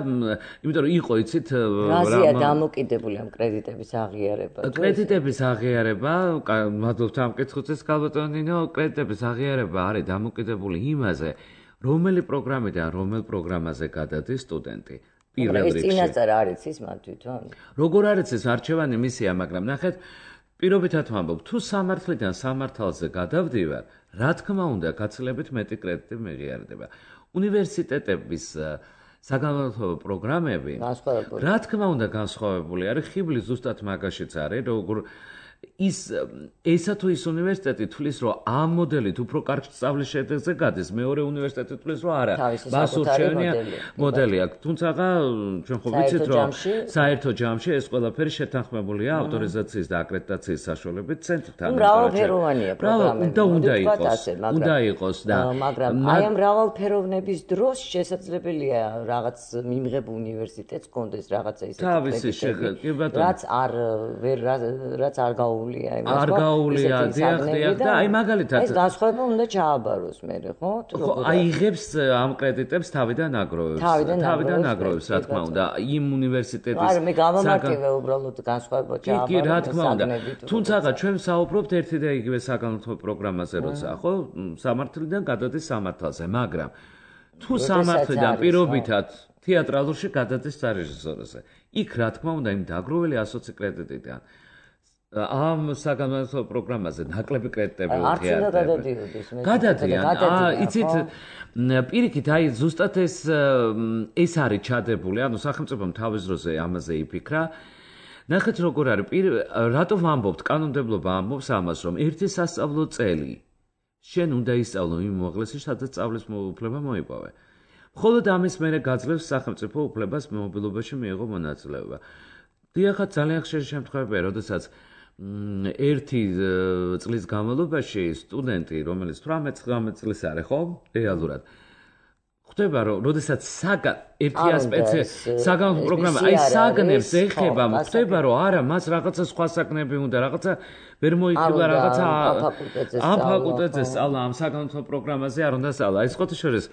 Speaker 3: იმიტომ რომ იყო იცით
Speaker 2: რაზეა დამოკიდებული ამ კრედიტების აღიარება?
Speaker 3: კრედიტების აღიარება, მადლობთ ამ კითხვისთვის, ქალბატონინო, კრედიტების აღიარება არის დამოკიდებული იმაზე, რომელი პროგრამიდან რომელ პროგრამაზე გადადის სტუდენტი. პირველ რიგში.
Speaker 2: ეს წინასწარ არის ის მათ თვითონ?
Speaker 3: როგორ არის ეს არჩევანი მისია, მაგრამ ნახეთ, პირობითად ვამბობ, თუ სამართლიდან სამართალზე გადავდივარ, რა თქმა უნდა, გაცილებით მეტი კრედიტი მეღიარდება. უნივერსიტეტების საგანმანათლებლო პროგრამები, რა თქმა უნდა, განსხვავებული არის. ხიბლი ზუსტად მაგაშიც არის, როგორ ესა თუ ის უნივერსიტეტი თulis რომ ამ მოდელით უფრო კარგ სწავლის შედეგზე გადის, მეორე უნივერსიტეტი თulis რომ არა, მასურჩევნია მოდელი აქვს. თუმცა ჩვენ ხო ვიცით რომ საერთო ჯამში ეს ყველაფერი შეთანხმებულია ავტორიზაციის და აკრედიტაციის საშუალებით ცენტრთან.
Speaker 2: მრავალფეროვანია პროგრამები.
Speaker 3: უნდა იყოს და
Speaker 2: მაგრამ აი ამ მრავალფეროვნების დროს შესაძლებელია რაღაც მიმღებ უნივერსიტეტს კონდეს რაღაცა ისეთი რაც არ
Speaker 3: არ გაუვლია დიახ და აი მაგალითად
Speaker 2: ეს განსხვავება უნდა ჩააბაროს მერე ხო?
Speaker 3: აი იღებს ამ კრედიტებს თავიდან აგროვებს რა თქმა უნდა იმ უნივერსიტეტის
Speaker 2: არა მე გამამართლე უბრალოდ განსხვავება ჩააბაროს
Speaker 3: კი რა თქმა უნდა თუმცა ჩვენ საუბრობთ ერთი და იგივე საგანმანათლებლო პროგრამაზე როცა ხო სამართლიდან გადადის სამართალზე მაგრამ თუ სამართლიდან პირობითად თეატრალურში გადადის სარეჟისოროზე იქ რა თქმა უნდა იმ დაგროვილი 120 კრედიტიდან ამ საგანმანათლებლო პროგრამაზე ნაკლები კრედიტები
Speaker 2: უღიარდება.
Speaker 3: გადადიან. იცით, პირიქით, აი ზუსტად ეს არის ჩადებული, ანუ სახელმწიფომ თავის დროზე ამაზე იფიქრა. ნახეთ როგორ არის, რატო ვამბობთ, კანონმდებლობა ამბობს ამას, რომ ერთი სასწავლო წელი შენ უნდა ისწავლო იმ უმაღლესი, სადაც სწავლის უფლება მოიპოვე. მხოლოდ ამის მერე გაძლევს სახელმწიფო უფლებას მობილობაში მიიღო მონაწილეობა. დიახაც ძალიან ხშირი შემთხვევებია, როდესაც ერთი წლის განმავლობაში სტუდენტი, რომელიც 18-19 წლის არის, ხო? რეალურად. ხვდება, რომ როდესაც ერთი ასპექტი საგანმანათლებლო პროგრამა, აი საგნებს ეხება, ხვდება, რომ არა, მას რაღაცა სხვა საგნები უნდა, რაღაცა ვერ მოიქილა რაღაცა ამ ფაკულტეტზე სწავლა, ამ საგანმანათლებლო პროგრამაზე არ უნდა სწავლა. აი სხვათა შორის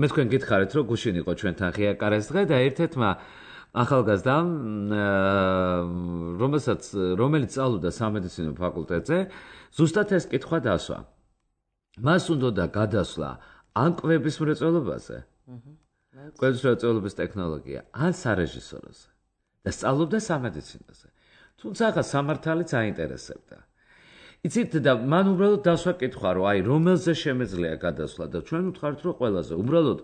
Speaker 3: მე თქვენ გითხარით, რომ გუშინ იყო ჩვენთან ღია კარეს დღე და ერთ-ერთმა ახალგაზრდამ, რომელიც სწავლობდა სამედიცინო ფაკულტეტზე, ზუსტად ეს კითხვა დასვა. მას უნდა გადასვლა ან კვების მრეწველობაზე, კვების მრეწველობის ტექნოლოგია, ან სარეჟისოროზე და სწავლობდა სამედიცინოზე. თუმცა ახლა სამართალიც აინტერესებდა. იცით და მან უბრალოდ დასვა კითხვა, რომ აი რომელზე შემეძლია გადასვლა და ჩვენ ვთქვართ, რომ ყველაზე უბრალოდ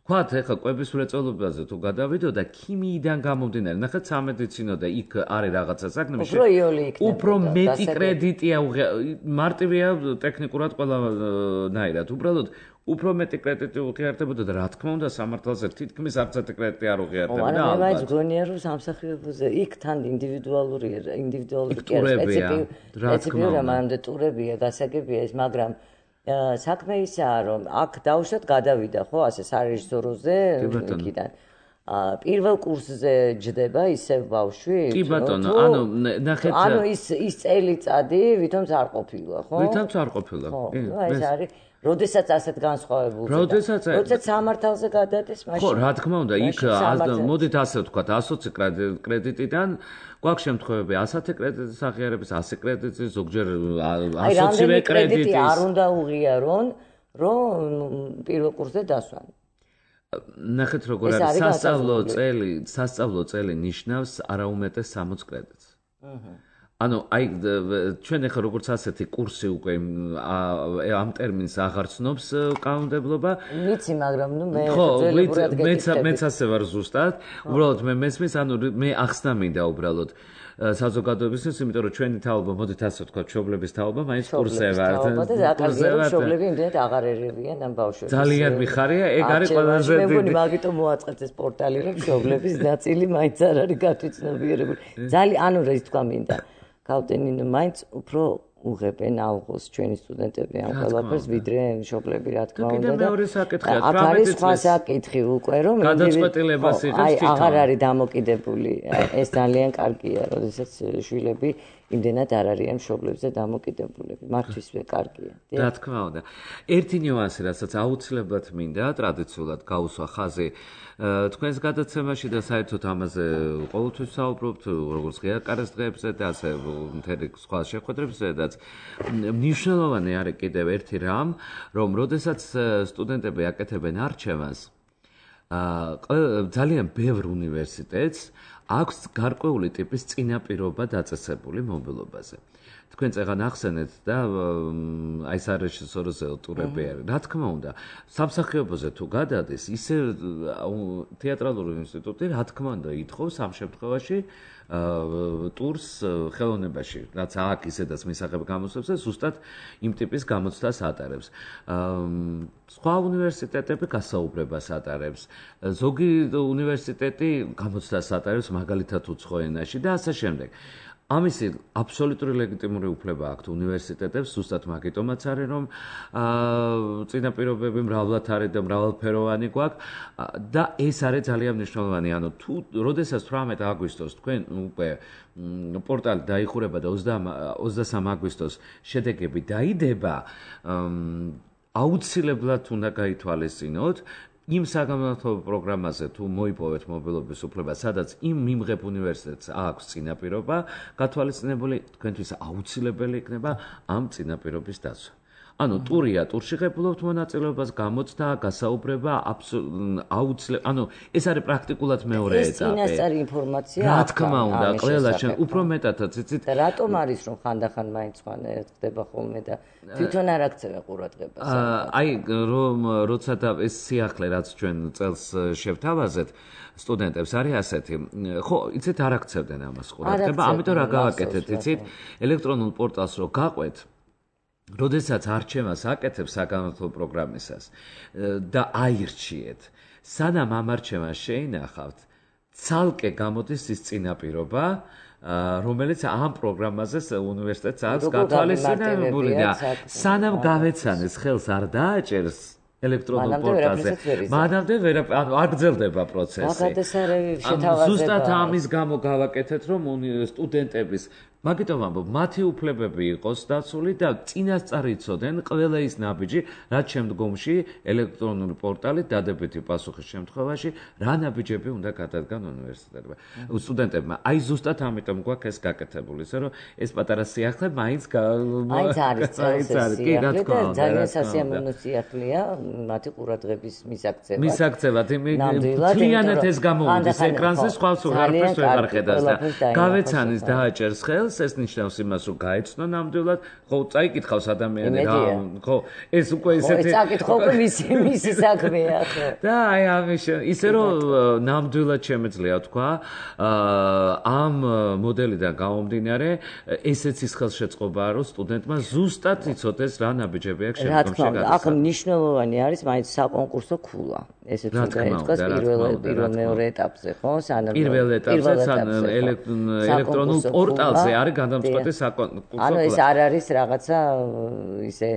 Speaker 3: თქვათ ეხლა კვების მრეწველობაზე თუ გადავიდო და ქიმიიდან გამომდინარე, ნახეთ სამედიცინო და იქ არის რაღაცა საგნები, უფრო მეტი კრედიტია, მარტივია ტექნიკურად ყველანაირად, უბრალოდ უფრო მეტი კრედიტი უღიარდებოდა და რა თქმა უნდა სამართალზე თითქმის არც ერთი კრედიტი არ უღიარდებოდა.
Speaker 2: და ალბათ მე გონია რომ სამსახიობოზე იქ თან ინდივიდუალური სპეციფიკური მანამდე ტურებია, გასაგებია ეს, მაგრამ საქმე ისაა, რომ აქ დაუშვათ გადავიდა, ხო, ასე სარეჟისოროზე იქიდან. პირველ კურსზე ჯდება ისევ ბავშვი?
Speaker 3: კი ბატონო, ანუ ნახეთ.
Speaker 2: ანუ ის წელიწადი ვითომც არ ყოფილა, ხო?
Speaker 3: ვითომც არ ყოფილა.
Speaker 2: კი, ეს არის როდესაც ასეთ განსხვავებულზე. როდესაც სამართალზე გადადის, მაშინ.
Speaker 3: ხო, რა თქმა უნდა, იქ მოდით ასე ვთქვათ, 120 კრედიტიდან გვაქვს შემთხვევები 110 კრედიტის აღიარების, 100 კრედიტის, ზოგჯერ 120-ვე კრედიტის.
Speaker 2: არ უნდა უღიარონ, რომ პირველ კურსზე დასვან.
Speaker 3: ნახეთ როგორ არის სასწავლო წელი ნიშნავს არაუმეტეს 60 კრედიტს. ანუ აი ჩვენ ახლა როგორც ასეთი კურსი უკვე ამ ტერმინს აღარ ცნობს კანონმდებლობა.
Speaker 2: ვიცი, მაგრამ ნუ მე
Speaker 3: მეც ასე ვარ ზუსტად. უბრალოდ მე მესმის, ანუ მე ახსნა მინდა უბრალოდ საზოგადოებისთვის, იმიტომ რომ ჩვენი თაობა, მოდით ასე ვთქვათ, მშობლების თაობა, მაინც კურსზე ვარ.
Speaker 2: მშობლები იმდენად აღარ ერევიან ამ ბავშვებს.
Speaker 3: ძალიან მიხარია, ეგ არის ყველაზე
Speaker 2: დიდი. მე მგონი მაგიტომ მოაწყეთ ეს პორტალი, რომ მშობლების ნაწილი მაინც არ არის გათვითცნობიერებული. ძალიან, ანუ რა თქვა მინდა. გავტენინო მაინც უფრო უღებენ ალღოს ჩვენი სტუდენტები ამ ყველაფერს, ვიდრე მშობლები, რა თქმა უნდა.
Speaker 3: კიდე მეორე საკითხია,
Speaker 2: 18 წლის. აქ არის სხვა საკითხი უკვე, რომ
Speaker 3: გადაწყვეტილებას იღებს თვითონ.
Speaker 2: აღარ არის დამოკიდებული. ეს ძალიან კარგია, როდესაც შვილები იმდენად არ არიან მშობლებზე დამოკიდებულები. მართლისვე კარგია.
Speaker 3: რა თქმა უნდა. ერთი ნიუანსი, რასაც აუცილებლად მინდა ტრადიციულად გავუსვა ხაზი თქვენს გადაცემაში და საერთოდ ამაზე ყოველთვის საუბრობთ, როგორც ღიაკარეს დღეებზე და ასე მთელი სხვა შეხვედრებზედაც. მნიშვნელოვანი არის კიდევ ერთი რამ, რომ როდესაც სტუდენტები აკეთებენ არჩევანს, ძალიან ბევრ უნივერსიტეტს აქვს გარკვეული ტიპის წინაპირობა დაწესებული მობილობაზე. თქვენ წეგან ახსენეთ და აი სარეჟისოროზე ტურები არის. რა თქმა უნდა, სამსახიობოზე თუ გადადის, ისე თეატრალური ინსტიტუტი რა თქმა უნდა ითხოვს ამ შემთხვევაში ტურს ხელოვნებაში, რაც აქ ისედაც მისაღებ გამოსვლებს და ზუსტად იმ ტიპის გამოცდას ატარებს. სხვა უნივერსიტეტები გასაუბრებას ატარებს. ზოგი უნივერსიტეტი გამოცდას ატარებს მაგალითად უცხო ენაში და ასე შემდეგ. ამისი აბსოლუტური ლეგიტიმური უფლება აქვთ უნივერსიტეტებს, ზუსტად მაგიტომაც არის, რომ წინაპირობები მრავლად არის და მრავალფეროვანი გვაქვს და ეს არის ძალიან მნიშვნელოვანი. ანუ თუ როდესაც 18 აგვისტოს თქვენ უკვე პორტალი დაიხურება და 23 აგვისტოს შედეგები დაიდება, აუცილებლად უნდა გაითვალისწინოთ იმ საგანმანათლებლო პროგრამაზე თუ მოიპოვეთ მობილობის უფლება, სადაც იმ მიმღებ უნივერსიტეტს აქვს წინაპირობა, გათვალისწინებული თქვენთვის აუცილებელი იქნება ამ წინაპირობის დაცვა. ანუ ტურია, ტურში ღებულობთ მონაწილეობას, გამოცდა, გასაუბრება, აუცილებლად, ანუ ეს არის პრაქტიკულად მეორე ეტაპი.
Speaker 2: ეს წინასწარი ინფორმაცია.
Speaker 3: რა თქმა უნდა, ყველა უფრო მეტადაც იცით.
Speaker 2: რატომ არის რომ ხანდახან მაინც ხდება ხოლმე და თვითონ არ აქცევენ ყურადღებას.
Speaker 3: აი რომ როცა და ეს სიახლე რაც ჩვენ წელს შევთავაზეთ სტუდენტებს არის ასეთი. ხო, იცით არ აქცევდნენ ამას ყურადღება, ამიტომ რა გავაკეთეთ, იცით, ელექტრონულ პორტალს რო გაყვეთ როდესაც არჩევანს აკეთებს საგანმანათლებლო პროგრამისას და აირჩიეთ, სანამ ამ არჩევანს შეინახავთ, ცალკე გამოდის ის წინაპირობა, რომელიც ამ პროგრამაზე უნივერსიტეტს აქვს გათვალისწინებული და სანამ გავეცანეს ხელს არ დააჭერს ელექტრონულ პორტალზე, მანამდე არ გრძელდება პროცესი. ზუსტად ამის გამო გავაკეთეთ, რომ სტუდენტების მაგიტომ ამბობ, მათი უფლებები იყოს დაცული და წინასწარ იცოდნენ ყველა ის ნაბიჯი, რაც შემდგომში ელექტრონული პორტალით დადებითი პასუხის შემთხვევაში რა ნაბიჯები უნდა გადადგან უნივერსიტეტებმა, სტუდენტებმა. აი ზუსტად ამიტომ გვაქვს ეს გაკეთებული, ისე რომ ეს პატარა სიახლე მაინც
Speaker 2: არის
Speaker 3: კი, რა თქმა უნდა,
Speaker 2: ძალიან სასიამოვნო სიახლეა მათი ყურადღების მისაქცევად.
Speaker 3: მისაქცევად, მთლიანად ეს გამოვიდეს ეკრანზე, სხვა სულ არაფერს ვეღარ ხედავს და გავეცანის დააჭერს ხელს. ეს ნიშნავს იმას, რომ გაეცნო ნამდვილად, ხო, წაიკითხავს ადამიანი რა, ხო, ეს უკვე ისეთი
Speaker 2: წაიკითხო უკვე მისი საქმეა, ხო.
Speaker 3: და აი ამის ისე რომ ნამდვილად შემეძლია თქვა, ამ მოდელიდან გამომდინარე, ესეც ის ხელშეწყობაა, რომ სტუდენტმა ზუსტად იცოდეს რა ნაბიჯები აქვს შემდგომში გადასახადები.
Speaker 2: აქ მნიშვნელოვანი არის მაინც საკონკურსო ქულა. ესეც უნდა იყოს პირველ მეორე ეტაპზე, ხო?
Speaker 3: პირველ ეტაპზე ელექტრონულ პორტალზე არის გადამწყვეტი საკონკურსო.
Speaker 2: ანუ ეს არ არის რაღაცა ისე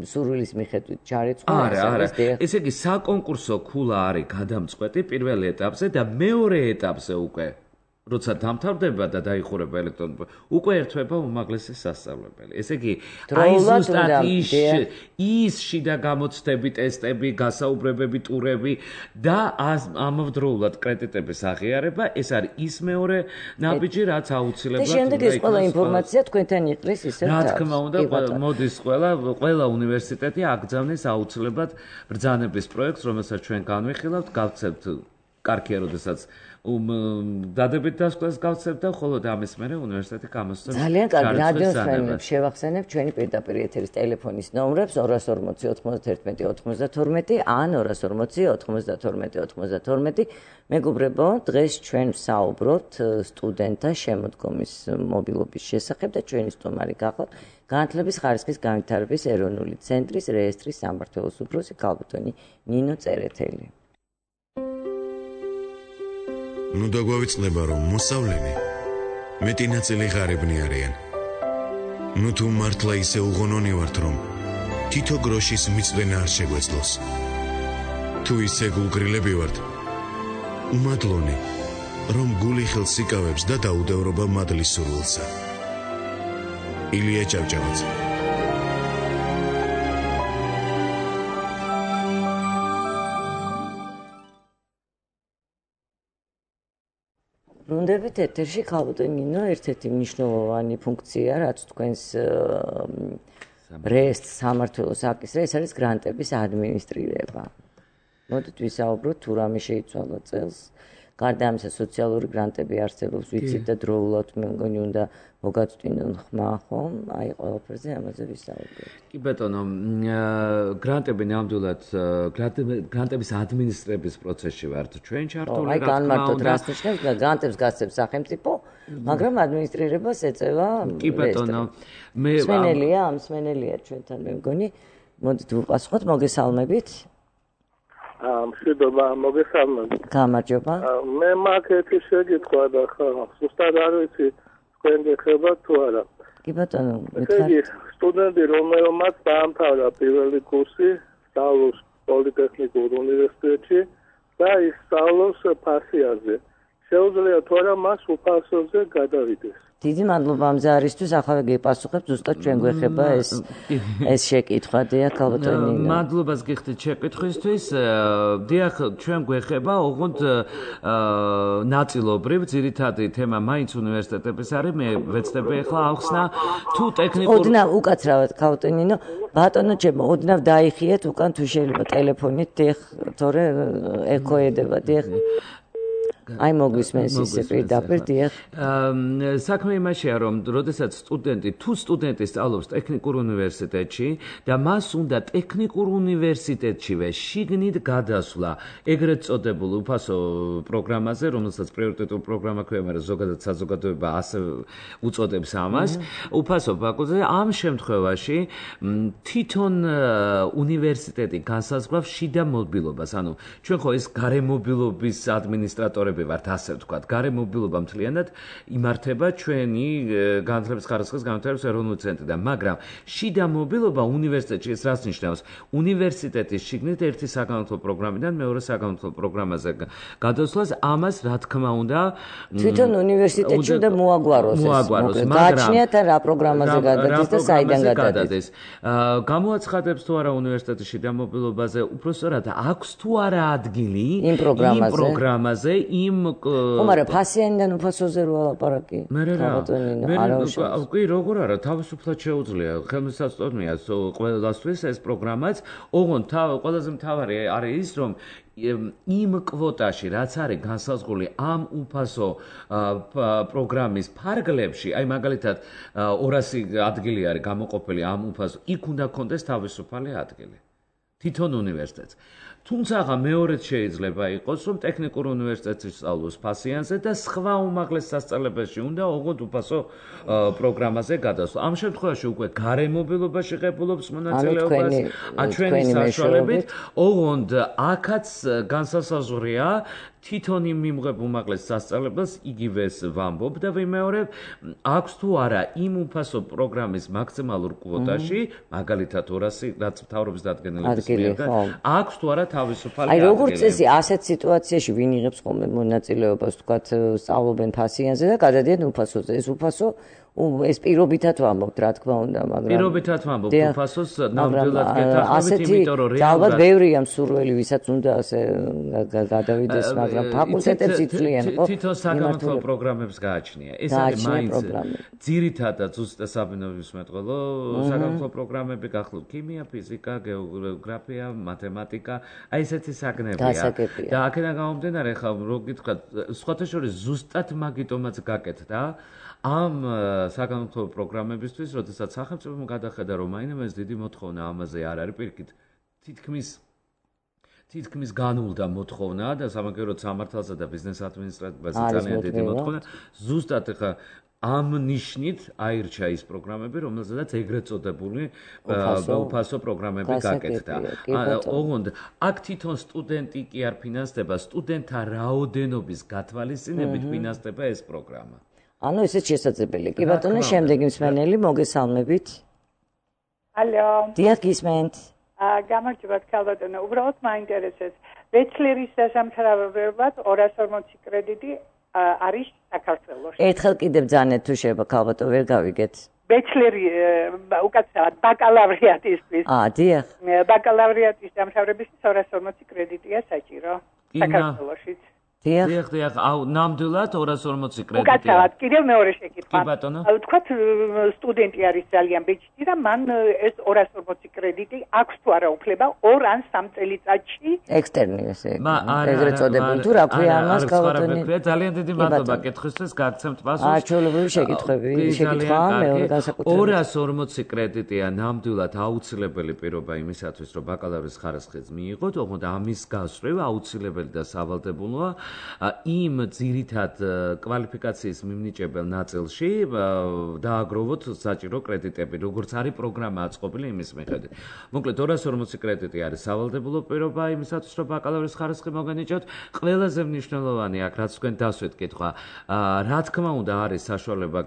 Speaker 2: სურვილის მიხედვით ჩარიცხული.
Speaker 3: არა. ესე იგი საკონკურსო ქულა არის გადამწყვეტი პირველ ეტაპზე და მეორე ეტაპზე უკვე როცა დამთავრდება და დაიხურება ელექტრონული უკვე ერთვება უმაღლესი სასწავლებელი. ესე იგი აი ზუსტად ის შიდა გამოცდები, ტესტები, გასაუბრებები, ტურები და ამავდროულად კრედიტების აღიარება, ეს არის ის მეორე ნაბიჯი, რაც აუცილებლად
Speaker 2: და შემდეგ ეს ყველა ინფორმაცია თქვენთან იყრის ისე
Speaker 3: რა თქმა უნდა, მოდის ყველა უნივერსიტეტი აკრძალვის აუცილებლად ბრძანების პროექტს, რომელსაც ჩვენ განვიხილავთ, გავცემთ კარგია, როდესაც დადებით დასკვნას გავცემთ და ხოლო ამის მერე უნივერსიტეტი გამოსცემს.
Speaker 2: ძალიან კარგი, რადიოს ფრენებს შევახსენებ ჩვენი პირდაპირ ეთერის ტელეფონის ნომრებს 240 91 92 ან 240 92 92. მეგობრებო, დღეს ჩვენ ვსაუბრობთ სტუდენტთა შემოდგომის მობილობის შესახებ და ჩვენი სტუმარი გახლავთ განათლების ხარისხის განვითარების ეროვნული ცენტრის რეესტრის სამმართველოს უფროსი ქალბატონი ნინო წერეთელი.
Speaker 1: ნუ დაგვავიწყდება, რომ მოსავლენი მეტი ნაწილი ღარიბნი არიან. ნუ თუ მართლა ისე უღონონი ვართ, რომ თითო გროშის მიწვენა არ შეგვეძლოს. თუ ისე გულგრილები ვართ, უმადლონი, რომ გული ხელს იკავებს და დაუდევრობა მადლის სურვილსა. ილია ჭავჭავაძე.
Speaker 2: ბრუნდებით ეთერში ქალბატონინო ერთ-ერთი მნიშვნელოვანი ფუნქცია, რაც თქვენს რესტ სამმართველოს აკისრა, ეს არის გრანტების ადმინისტრირება. მოდით ვისაუბროთ თუ რამე შეიცვალა წელს. გარდა ამისა სოციალური გრანტები არსებობს, ვიცით და დროულად მე მგონი უნდა მოგაწვდინონ ხმა, ხომ? აი ყველაფერზე ამაზე ვისაუბროთ.
Speaker 3: კი ბატონო, გრანტები ნამდვილად გრანტების ადმინისტრების პროცესში ვართ ჩვენ ჩართული,
Speaker 2: რა თქმა უნდა. აი განმარტოთ, რას ნიშნავს გრანტებს გასცემს სახელმწიფო, მაგრამ ადმინისტრირებას ეწევა
Speaker 3: კი ბატონო, მე
Speaker 2: მსმენელია ჩვენთან მე მგონი. მოდით ვუპასუხოთ, მოგესალმებით.
Speaker 4: მშვიდობა, მოგესალმებით.
Speaker 2: გამარჯობა.
Speaker 4: მე მაქვს ერთი შეკითხვა და ზუსტად არ ვიცი თქვენ გეხებათ თუ არა.
Speaker 2: კი ბატონო,
Speaker 4: გითხარით. სტუდენტი რომელმაც დაამთავრა პირველი კურსი, სწავლობს პოლიტექნიკურ უნივერსიტეტში და ის სწავლობს ფასიანზე. შეუძლია თუ არა მას უფასოზე გადავიდეს.
Speaker 2: დიდი მადლობა ამ ზარისთვის, ახლა გეპასუხებ, ზუსტად ჩვენ გვეხება ეს შეკითხვა, დიახ, ქალბატონინო.
Speaker 3: მადლობას გიხდით შეკითხვისთვის. დიახ, ჩვენ გვეხება, ოღონდ ნაწილობრივ ძირითადი თემა მაინც უნივერსიტეტების არის, მე ვეცდები ახლა ახსნა თუ ტექნიკურ
Speaker 2: ოდნავ უკაცრავად ქალბატონინო, ბატონო ჩემო, ოდნავ დაიხიეთ უკან თუ შეიძლება ტელეფონით, დიახ, თორე ეკოედება, დიახ. აი მოგვისმენს ისე პირდაპირ, დიახ.
Speaker 3: საქმე იმაშია, რომ როდესაც სტუდენტი სწავლობს ტექნიკურ უნივერსიტეტში და მას უნდა ტექნიკურ უნივერსიტეტშივე შიგნით გადასვლა ეგრეთ წოდებულ უფასო პროგრამაზე, რომელსაც პრიორიტეტულ პროგრამა ქვია, მაგრამ ზოგადად საზოგადოება ასე უწოდებს ამას, უფასო ბაკუზე, ამ შემთხვევაში თვითონ უნივერსიტეტი განსაზღვრავს შიდა მობილობას. ანუ ჩვენ ხო ეს გარემობილობის ადმინისტრატორები ვართ, ასე ვთქვათ. გარემობილობა მთლიანად იმართება ჩვენი განათლების ხარისხის განვითარების ეროვნული ცენტრიდან, მაგრამ შიდა მობილობა უნივერსიტეტში ეს რას ნიშნავს? უნივერსიტეტის შიგნით ერთი საგანმანათლებლო პროგრამიდან მეორე საგანმანათლებლო პროგრამაზე გადასვლას, ამას რა თქმა უნდა
Speaker 2: თვითონ უნივერსიტეტში უნდა მოაგვაროს ეს. გააჩნიათ რა პროგრამაზე გადადის და საიდან გადადის.
Speaker 3: გამოაცხადებს თუ არა უნივერსიტეტის შიდა მობილობაზე, უბრალოდ აქვს თუ არა ადგილი
Speaker 2: იმ
Speaker 3: პროგრამაზე,
Speaker 2: მაგრამ ფასიანიდან უფასოზე რო ალაპარაკი.
Speaker 3: კი, როგორ არა, თავისუფლად შეუძლია, ხელმისაწვდომია ყველასთვის ეს პროგრამაც, ოღონდ ყველაზე მთავარი არის ის, რომ იმ კვოტაში, რაც არის განსაზღვრული ამ უფასო პროგრამის ფარგლებში, აი მაგალითად 200 ადგილი არის გამოყოფილი ამ უფასო, იქ უნდა კონდეს თავისუფალი ადგილი. თვითონ უნივერსიტეტს. თუმცა მეორედ შეიძლება იყოს, რომ ტექნიკურ უნივერსიტეტში სწავლობს ფასიანზე და სხვა უმაღლეს სასწავლებელში უნდა ოღონდ უფასო პროგრამაზე გადასვლა. ამ შემთხვევაში უკვე გარემობილობა შეღებულობს მონაწილეობას, ჩვენი საშუალებით, ოღონდ აქაც განსასაზღვრია თვითონ იმ მიმღებ უმაღლეს სასწავლებელს იგივეს ვამბობ და ვიმეორებ, აქვს თუ არა იმ უფასო პროგრამის მაქსიმალურ კვოტაში, მაგალითად 200, რაც მთავრობის დადგენილების მიერ, აქვს თუ არა თავისუფალი
Speaker 2: ადგილი. აი როგორც წესი, ასეთ სიტუაციაში ვინ იღებს ხოლმე მონაწილეობას, თქვათ, სწავლობენ ფასიანზე და გადადიან უფასოზე. ეს უფასო ეს პირობითად ვამბობთ, რა თქმა უნდა, მაგრამ
Speaker 3: პირობითად ვამბობთ უფასოს ნამდვილად გეთანხმებით, იმიტომ რომ
Speaker 2: ალბათ ბევრია მსურველი, ვისაც უნდა ასე გადავიდეს, მაგრამ ფაკულტეტებს იცვლიან, ხო?
Speaker 3: თვითონ საგანმანათლებლო პროგრამებს გააჩნია. ეს არის მაინც ძირითადად ზუსტად საბუნებისმეტყველო საგანმანათლებლო პროგრამები გახლავთ ქიმია, ფიზიკა, გეოგრაფია, მათემატიკა, აი ესეთი საგნებია. და აქედან გამომდინარე, ხა რო გითხრათ, სხვათა შორის ზუსტად მაგიტომაც გაკეთდა ამ საგანმანათლებლო პროგრამებისთვის, როდესაც სახელმწიფომ გადახედა, რომ მაინც დიდი მოთხოვნა ამაზე არ არის პირიქით, თითქმის განულდა მოთხოვნა და სამაგიეროდ სამართალსა და ბიზნეს ადმინისტრაციაზე ძალიან დიდი მოთხოვნა. ზუსტად ხა ამ ნიშნით აირჩა ის პროგრამები, რომელზედაც ეგრეთ წოდებული უფასო პროგრამები გაკეთდა. ოღონდ აქ თვითონ სტუდენტი კი არ ფინანსდება, სტუდენტთა რაოდენობის გათვალისწინებით ფინანსდება ეს პროგრამა.
Speaker 2: ანუ ესეც შესაძლებელი. კი ბატონო, შემდეგი მსმენელი, მოგესალმებით.
Speaker 5: ალო.
Speaker 2: დიახ, გისმენთ.
Speaker 5: გამარჯობათ, ქალბატონო. უბრალოდ მაინტერესებს. ბეჩლერის დასამთავრებლად 240 კრედიტი არის საქართველოში.
Speaker 2: ერთხელ კიდევ ძანეთ თუ შეიძლება ქალბატონო, ვერ გავიგეთ.
Speaker 5: ბეჩლერი უკაცრავად ბაკალავრიატისთვის.
Speaker 2: დიახ.
Speaker 5: ბაკალავრიატის დამთავრებისთვის 240 კრედიტია საჭირო საქართველოშიც.
Speaker 3: დიახ, ნამდვილად 240 კრედიტია.
Speaker 5: უკაცრავად, კიდევ მეორე შეკითხვა.
Speaker 3: კი ბატონო.
Speaker 5: თქვათ სტუდენტი არის ძალიან ბეჭდი და მან ეს 240 კრედიტი აქვს თუ არა უფლება 2 ან 3 წელიწადში
Speaker 2: ექსტერნი ესე. ეგრეთ წოდებული თუ რა ქვია ამას ქალბატონი.
Speaker 3: ძალიან დიდი მადლობა კითხვისთვის, გაგცემთ პასუხს.
Speaker 2: არჩეულებრივი შეკითხვა, მეორე განსაკუთრებით.
Speaker 3: 240 კრედიტია ნამდვილად აუცილებელი პირობა იმისათვის, რომ ბაკალავრის ხარისხიც მიიღოთ, ოღონდ ამის გასწრება აუცილებელი და სავალდებულოა. იმ ძირითად კვალიფიკაციის მიმნიჭებელ ნაწილში დააგროვოთ საჭირო კრედიტები, როგორც არის პროგრამა აწყობილი იმის მიხედვით. მოკლედ 240 კრედიტი არის სავალდებულო პირობა იმისათვის, რომ ბაკალავრის ხარისხი მოგენიჭოთ. ყველაზე მნიშვნელოვანი აქ, რაც თქვენ დასვეთ კითხვა, რა თქმა უნდა არის საშუალება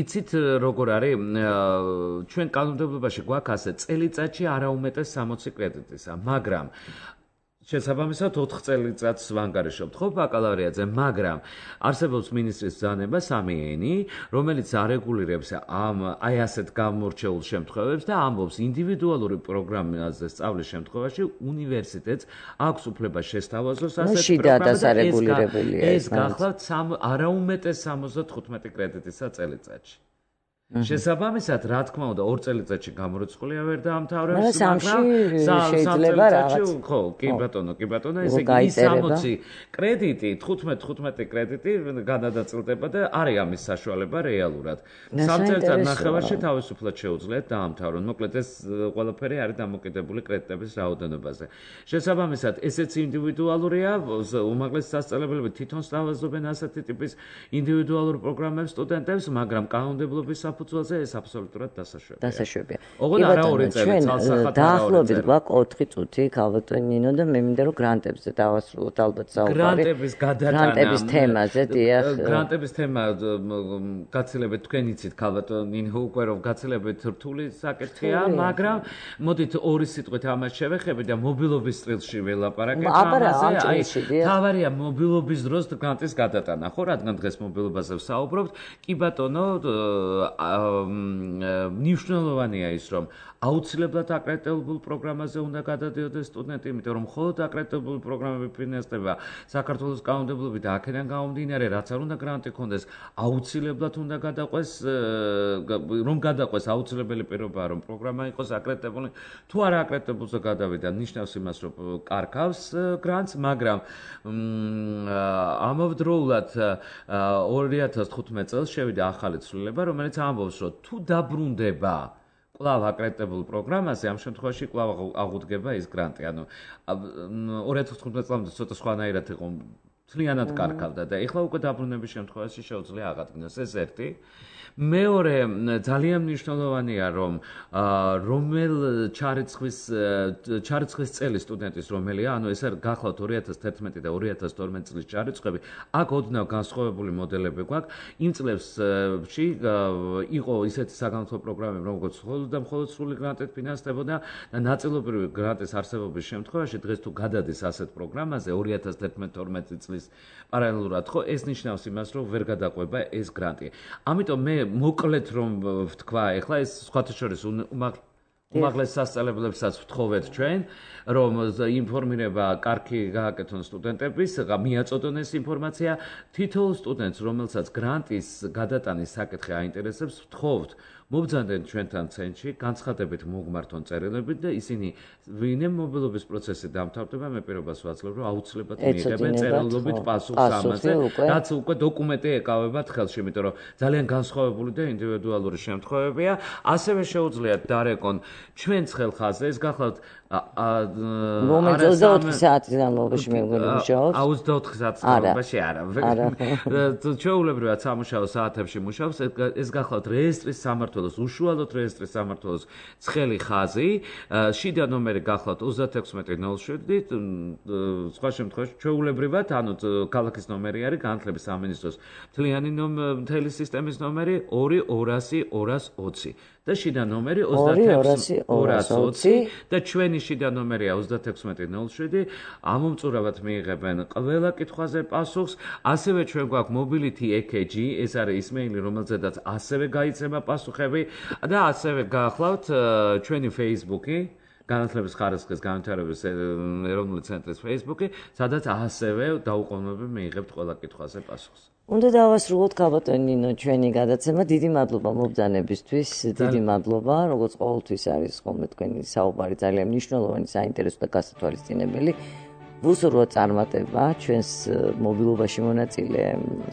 Speaker 3: იცით როგორ არის ჩვენ კანონმდებლობაში გვაქვს ასე წელიწადში არაუმეტეს 60 კრედიტისა, მაგრამ შესაბამისად 4 წელიწადს ვანგარიშობთ ხო ბაკალავრიატზე, მაგრამ არსებობს მინისტრის ბრძანება 3-ენი, რომელიც არეგულირებს აი ასეთ გამორჩეულ შემთხვევებს და ამბობს ინდივიდუალური პროგრამაზე სწავლის შემთხვევაში უნივერსიტეტს აქვს უფლება შესთავაზოს ასეთ პროგრამას. ეს გახლავთ არაუმეტეს 75 კრედიტისა წელიწადში. შესაბამისად, რა თქმა უნდა, 2 წელიწადში გამორიცხულია ვერ დაამთავრებს, მაგრამ
Speaker 2: შეიძლება რაღაც.
Speaker 3: ხო, კი ბატონო, ესე იგი 60 კრედიტი, 15 კრედიტი გადადაწილდება და არის ამის საშუალება რეალურად. 3 წელიწად ნახევარში თავისუფლად შეუძლიათ დაამთავრონ. მოკლედ ეს ყველაფერი არის დამოკიდებული კრედიტების რაოდენობაზე. შესაბამისად, ესეც ინდივიდუალურია, უმაღლესი სასწავლებლები თვითონ სწავლობენ ასეთი ტიპის ინდივიდუალურ პროგრამებს სტუდენტებს, მაგრამ კანონმდებლობის საფუძველზე ეს აბსოლუტურად დასაშვებია. ოღონდ არა 2 წელი, ცალსახად
Speaker 2: დაახლოებით გვაქვს 4 წუთი ქალბატონი ნინო და მე მინდა რომ გრანტებზე დავასრულოთ ალბათ საუბარი.
Speaker 3: გრანტების გადატანა.
Speaker 2: გრანტების თემაზე, დიახ.
Speaker 3: გრანტების თემა გაცილებით თქვენ იცით ქალბატონი ნინო უკვე რომ გაცილებით რთული საკითხია, მაგრამ მოდით ორი სიტყვით ამას შევეხებით და მობილობის სტილში ველაპარაკეთ ამაზე. თავარია მობილობის დროს გრანტის გადატანა, ხო, რადგან დღეს მობილობაზე ვსაუბრობთ. კი ბატონო, მნიშვნელოვანია ის, რომ აუცილებლად აკრედიტებულ პროგრამაზე უნდა გადადიოდეს სტუდენტი, იმიტომ რომ მხოლოდ აკრედიტებული პროგრამები ფინანსდება საქართველოს კანონმდებლობით და აქედან გამომდინარე, რაც არ უნდა გრანტი ქონდეს, აუცილებლად უნდა გადაყვეს, რომ გადაყვეს აუცილებელი პირობაა, რომ პროგრამა იყოს აკრედიტებული. თუ არა აკრედიტებულზე გადავიდა, ნიშნავს იმას, რომ კარგავს გრანტს, მაგრამ ამავდროულად 2015 წელს შევიდა ახალი ცვლილება, რომელიც ამბობს, რომ თუ დაბრუნდება კვლავ აკრედიტებულ პროგრამაზე, ამ შემთხვევაში კვლავ აღუდგება ის გრანტი. ანუ 2015 წლამდე ცოტა სხვანაირად იყო, მთლიანად კარგავდა და ეხლა უკვე დაბრუნების შემთხვევაში შეუძლია აღადგინოს. ეს ერთი. მეორე ძალიან მნიშვნელოვანია, რომ რომელ ჩარიცხვის წელი სტუდენტის რომელია, ანუ ეს არის გახლავთ 2011 და 2012 წლის ჩარიცხვები, აქ ოდნავ განსხვავებული მოდელები გვაქვს. იმ წლებში იყო ისეთი საგანმანათლებლო პროგრამები, როგორც მხოლოდ სრული გრანტით ფინანსდებოდა და ნაწილობრივი გრანტის არსებობის შემთხვევაში დღეს თუ გადადის ასეთ პროგრამაზე 2011-12 წლის პარალელურად, ხო, ეს ნიშნავს იმას, რომ ვერ გადაყვება ეს გრანტი. ამიტომ მე მოკლედ რომ ვთქვა, ეხლა ეს სხვათა შორის უმაღლეს სასწავლებლებსაც ვთხოვეთ ჩვენ, რომ ინფორმირება კარგი გააკეთონ სტუდენტების, მიაწოდონ ეს ინფორმაცია თითოეულ სტუდენტს, რომელსაც გრანტის გადატანის საკითხი აინტერესებს, ვთხოვთ მობრძანდნენ ჩვენთან ცენტრში, განცხადებით მოგმართონ წერილებით და ისინი ვინმე მობილობის პროცესი დამთავრდება, მე პირობას ვაძლევ, რომ აუცილებლად მიიღებენ წერილობით პასუხს ამაზე, რაც უკვე დოკუმენტი ეკავებათ ხელში, იმიტომ რომ ძალიან განსხვავებული და ინდივიდუალური შემთხვევებია. ასევე შეუძლიათ დარეკონ ჩვენს ხელხაზე, ეს გახლავთ
Speaker 2: მომენტ 24 საათის განმავლობაში მუშაობს.
Speaker 3: 24 საათის განმავლობაში არა. ჩვეულებრივად სამუშაო საათებში მუშაობს, ეს გახლავთ რეესტრის სამართო სამმართველოს, უშუალოდ რეესტრის სამმართველოს ცხელი ხაზი, შიდა ნომერი გახლავთ 3607, სხვა შემთხვევაში ჩვეულებრივად, ანუ ქალაქის ნომერი არის განათლების სამინისტროს მთელი სისტემის ნომერი 2200-220 და შიდა ნომერი 26220 და ჩვენი შიდა ნომერია 3607. ამომწურავად მიიღებენ ყველა კითხვაზე პასუხს. ასევე ჩვენ გვაქვს Mobility EKG, ეს არის ისმეილი, რომელზედაც ასევე გაიცემა პასუხები და ასევე გახლავთ ჩვენი Facebook-ი, განათლების ხარისხის განვითარების ეროვნული ცენტრის Facebook-ი, სადაც ასევე დაუყოვნებლივ მიიღებთ ყველა კითხვაზე პასუხს.
Speaker 2: უნდა დავასრულოთ ქალბატონი ნინო ჩვენი გადაცემა. დიდი მადლობა მობრძანებისთვის, დიდი მადლობა, როგორც ყოველთვის არის ხოლმე თქვენი საუბარი ძალიან მნიშვნელოვანი, საინტერესო და გასათვალისწინებელი. ვუსურვოთ წარმატება ჩვენს მობილობაში მონაწილე,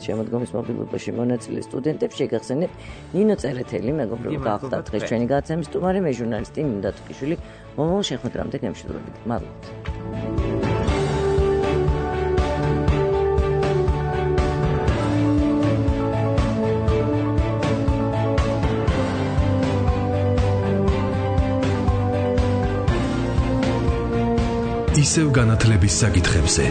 Speaker 2: შემოდგომის მობილობაში მონაწილე სტუდენტებს. შეგახსენებთ ნინო წერეთელი, მეგობრებო, გახდა დღეს ჩვენი გადაცემის სტუმარი, მე ჟურნალისტი ნინო დათუკიშვილი. მომავალ შეხვედრამდე გემშვიდობებით. მადლობთ.
Speaker 6: ისევ განათლების საკითხებზე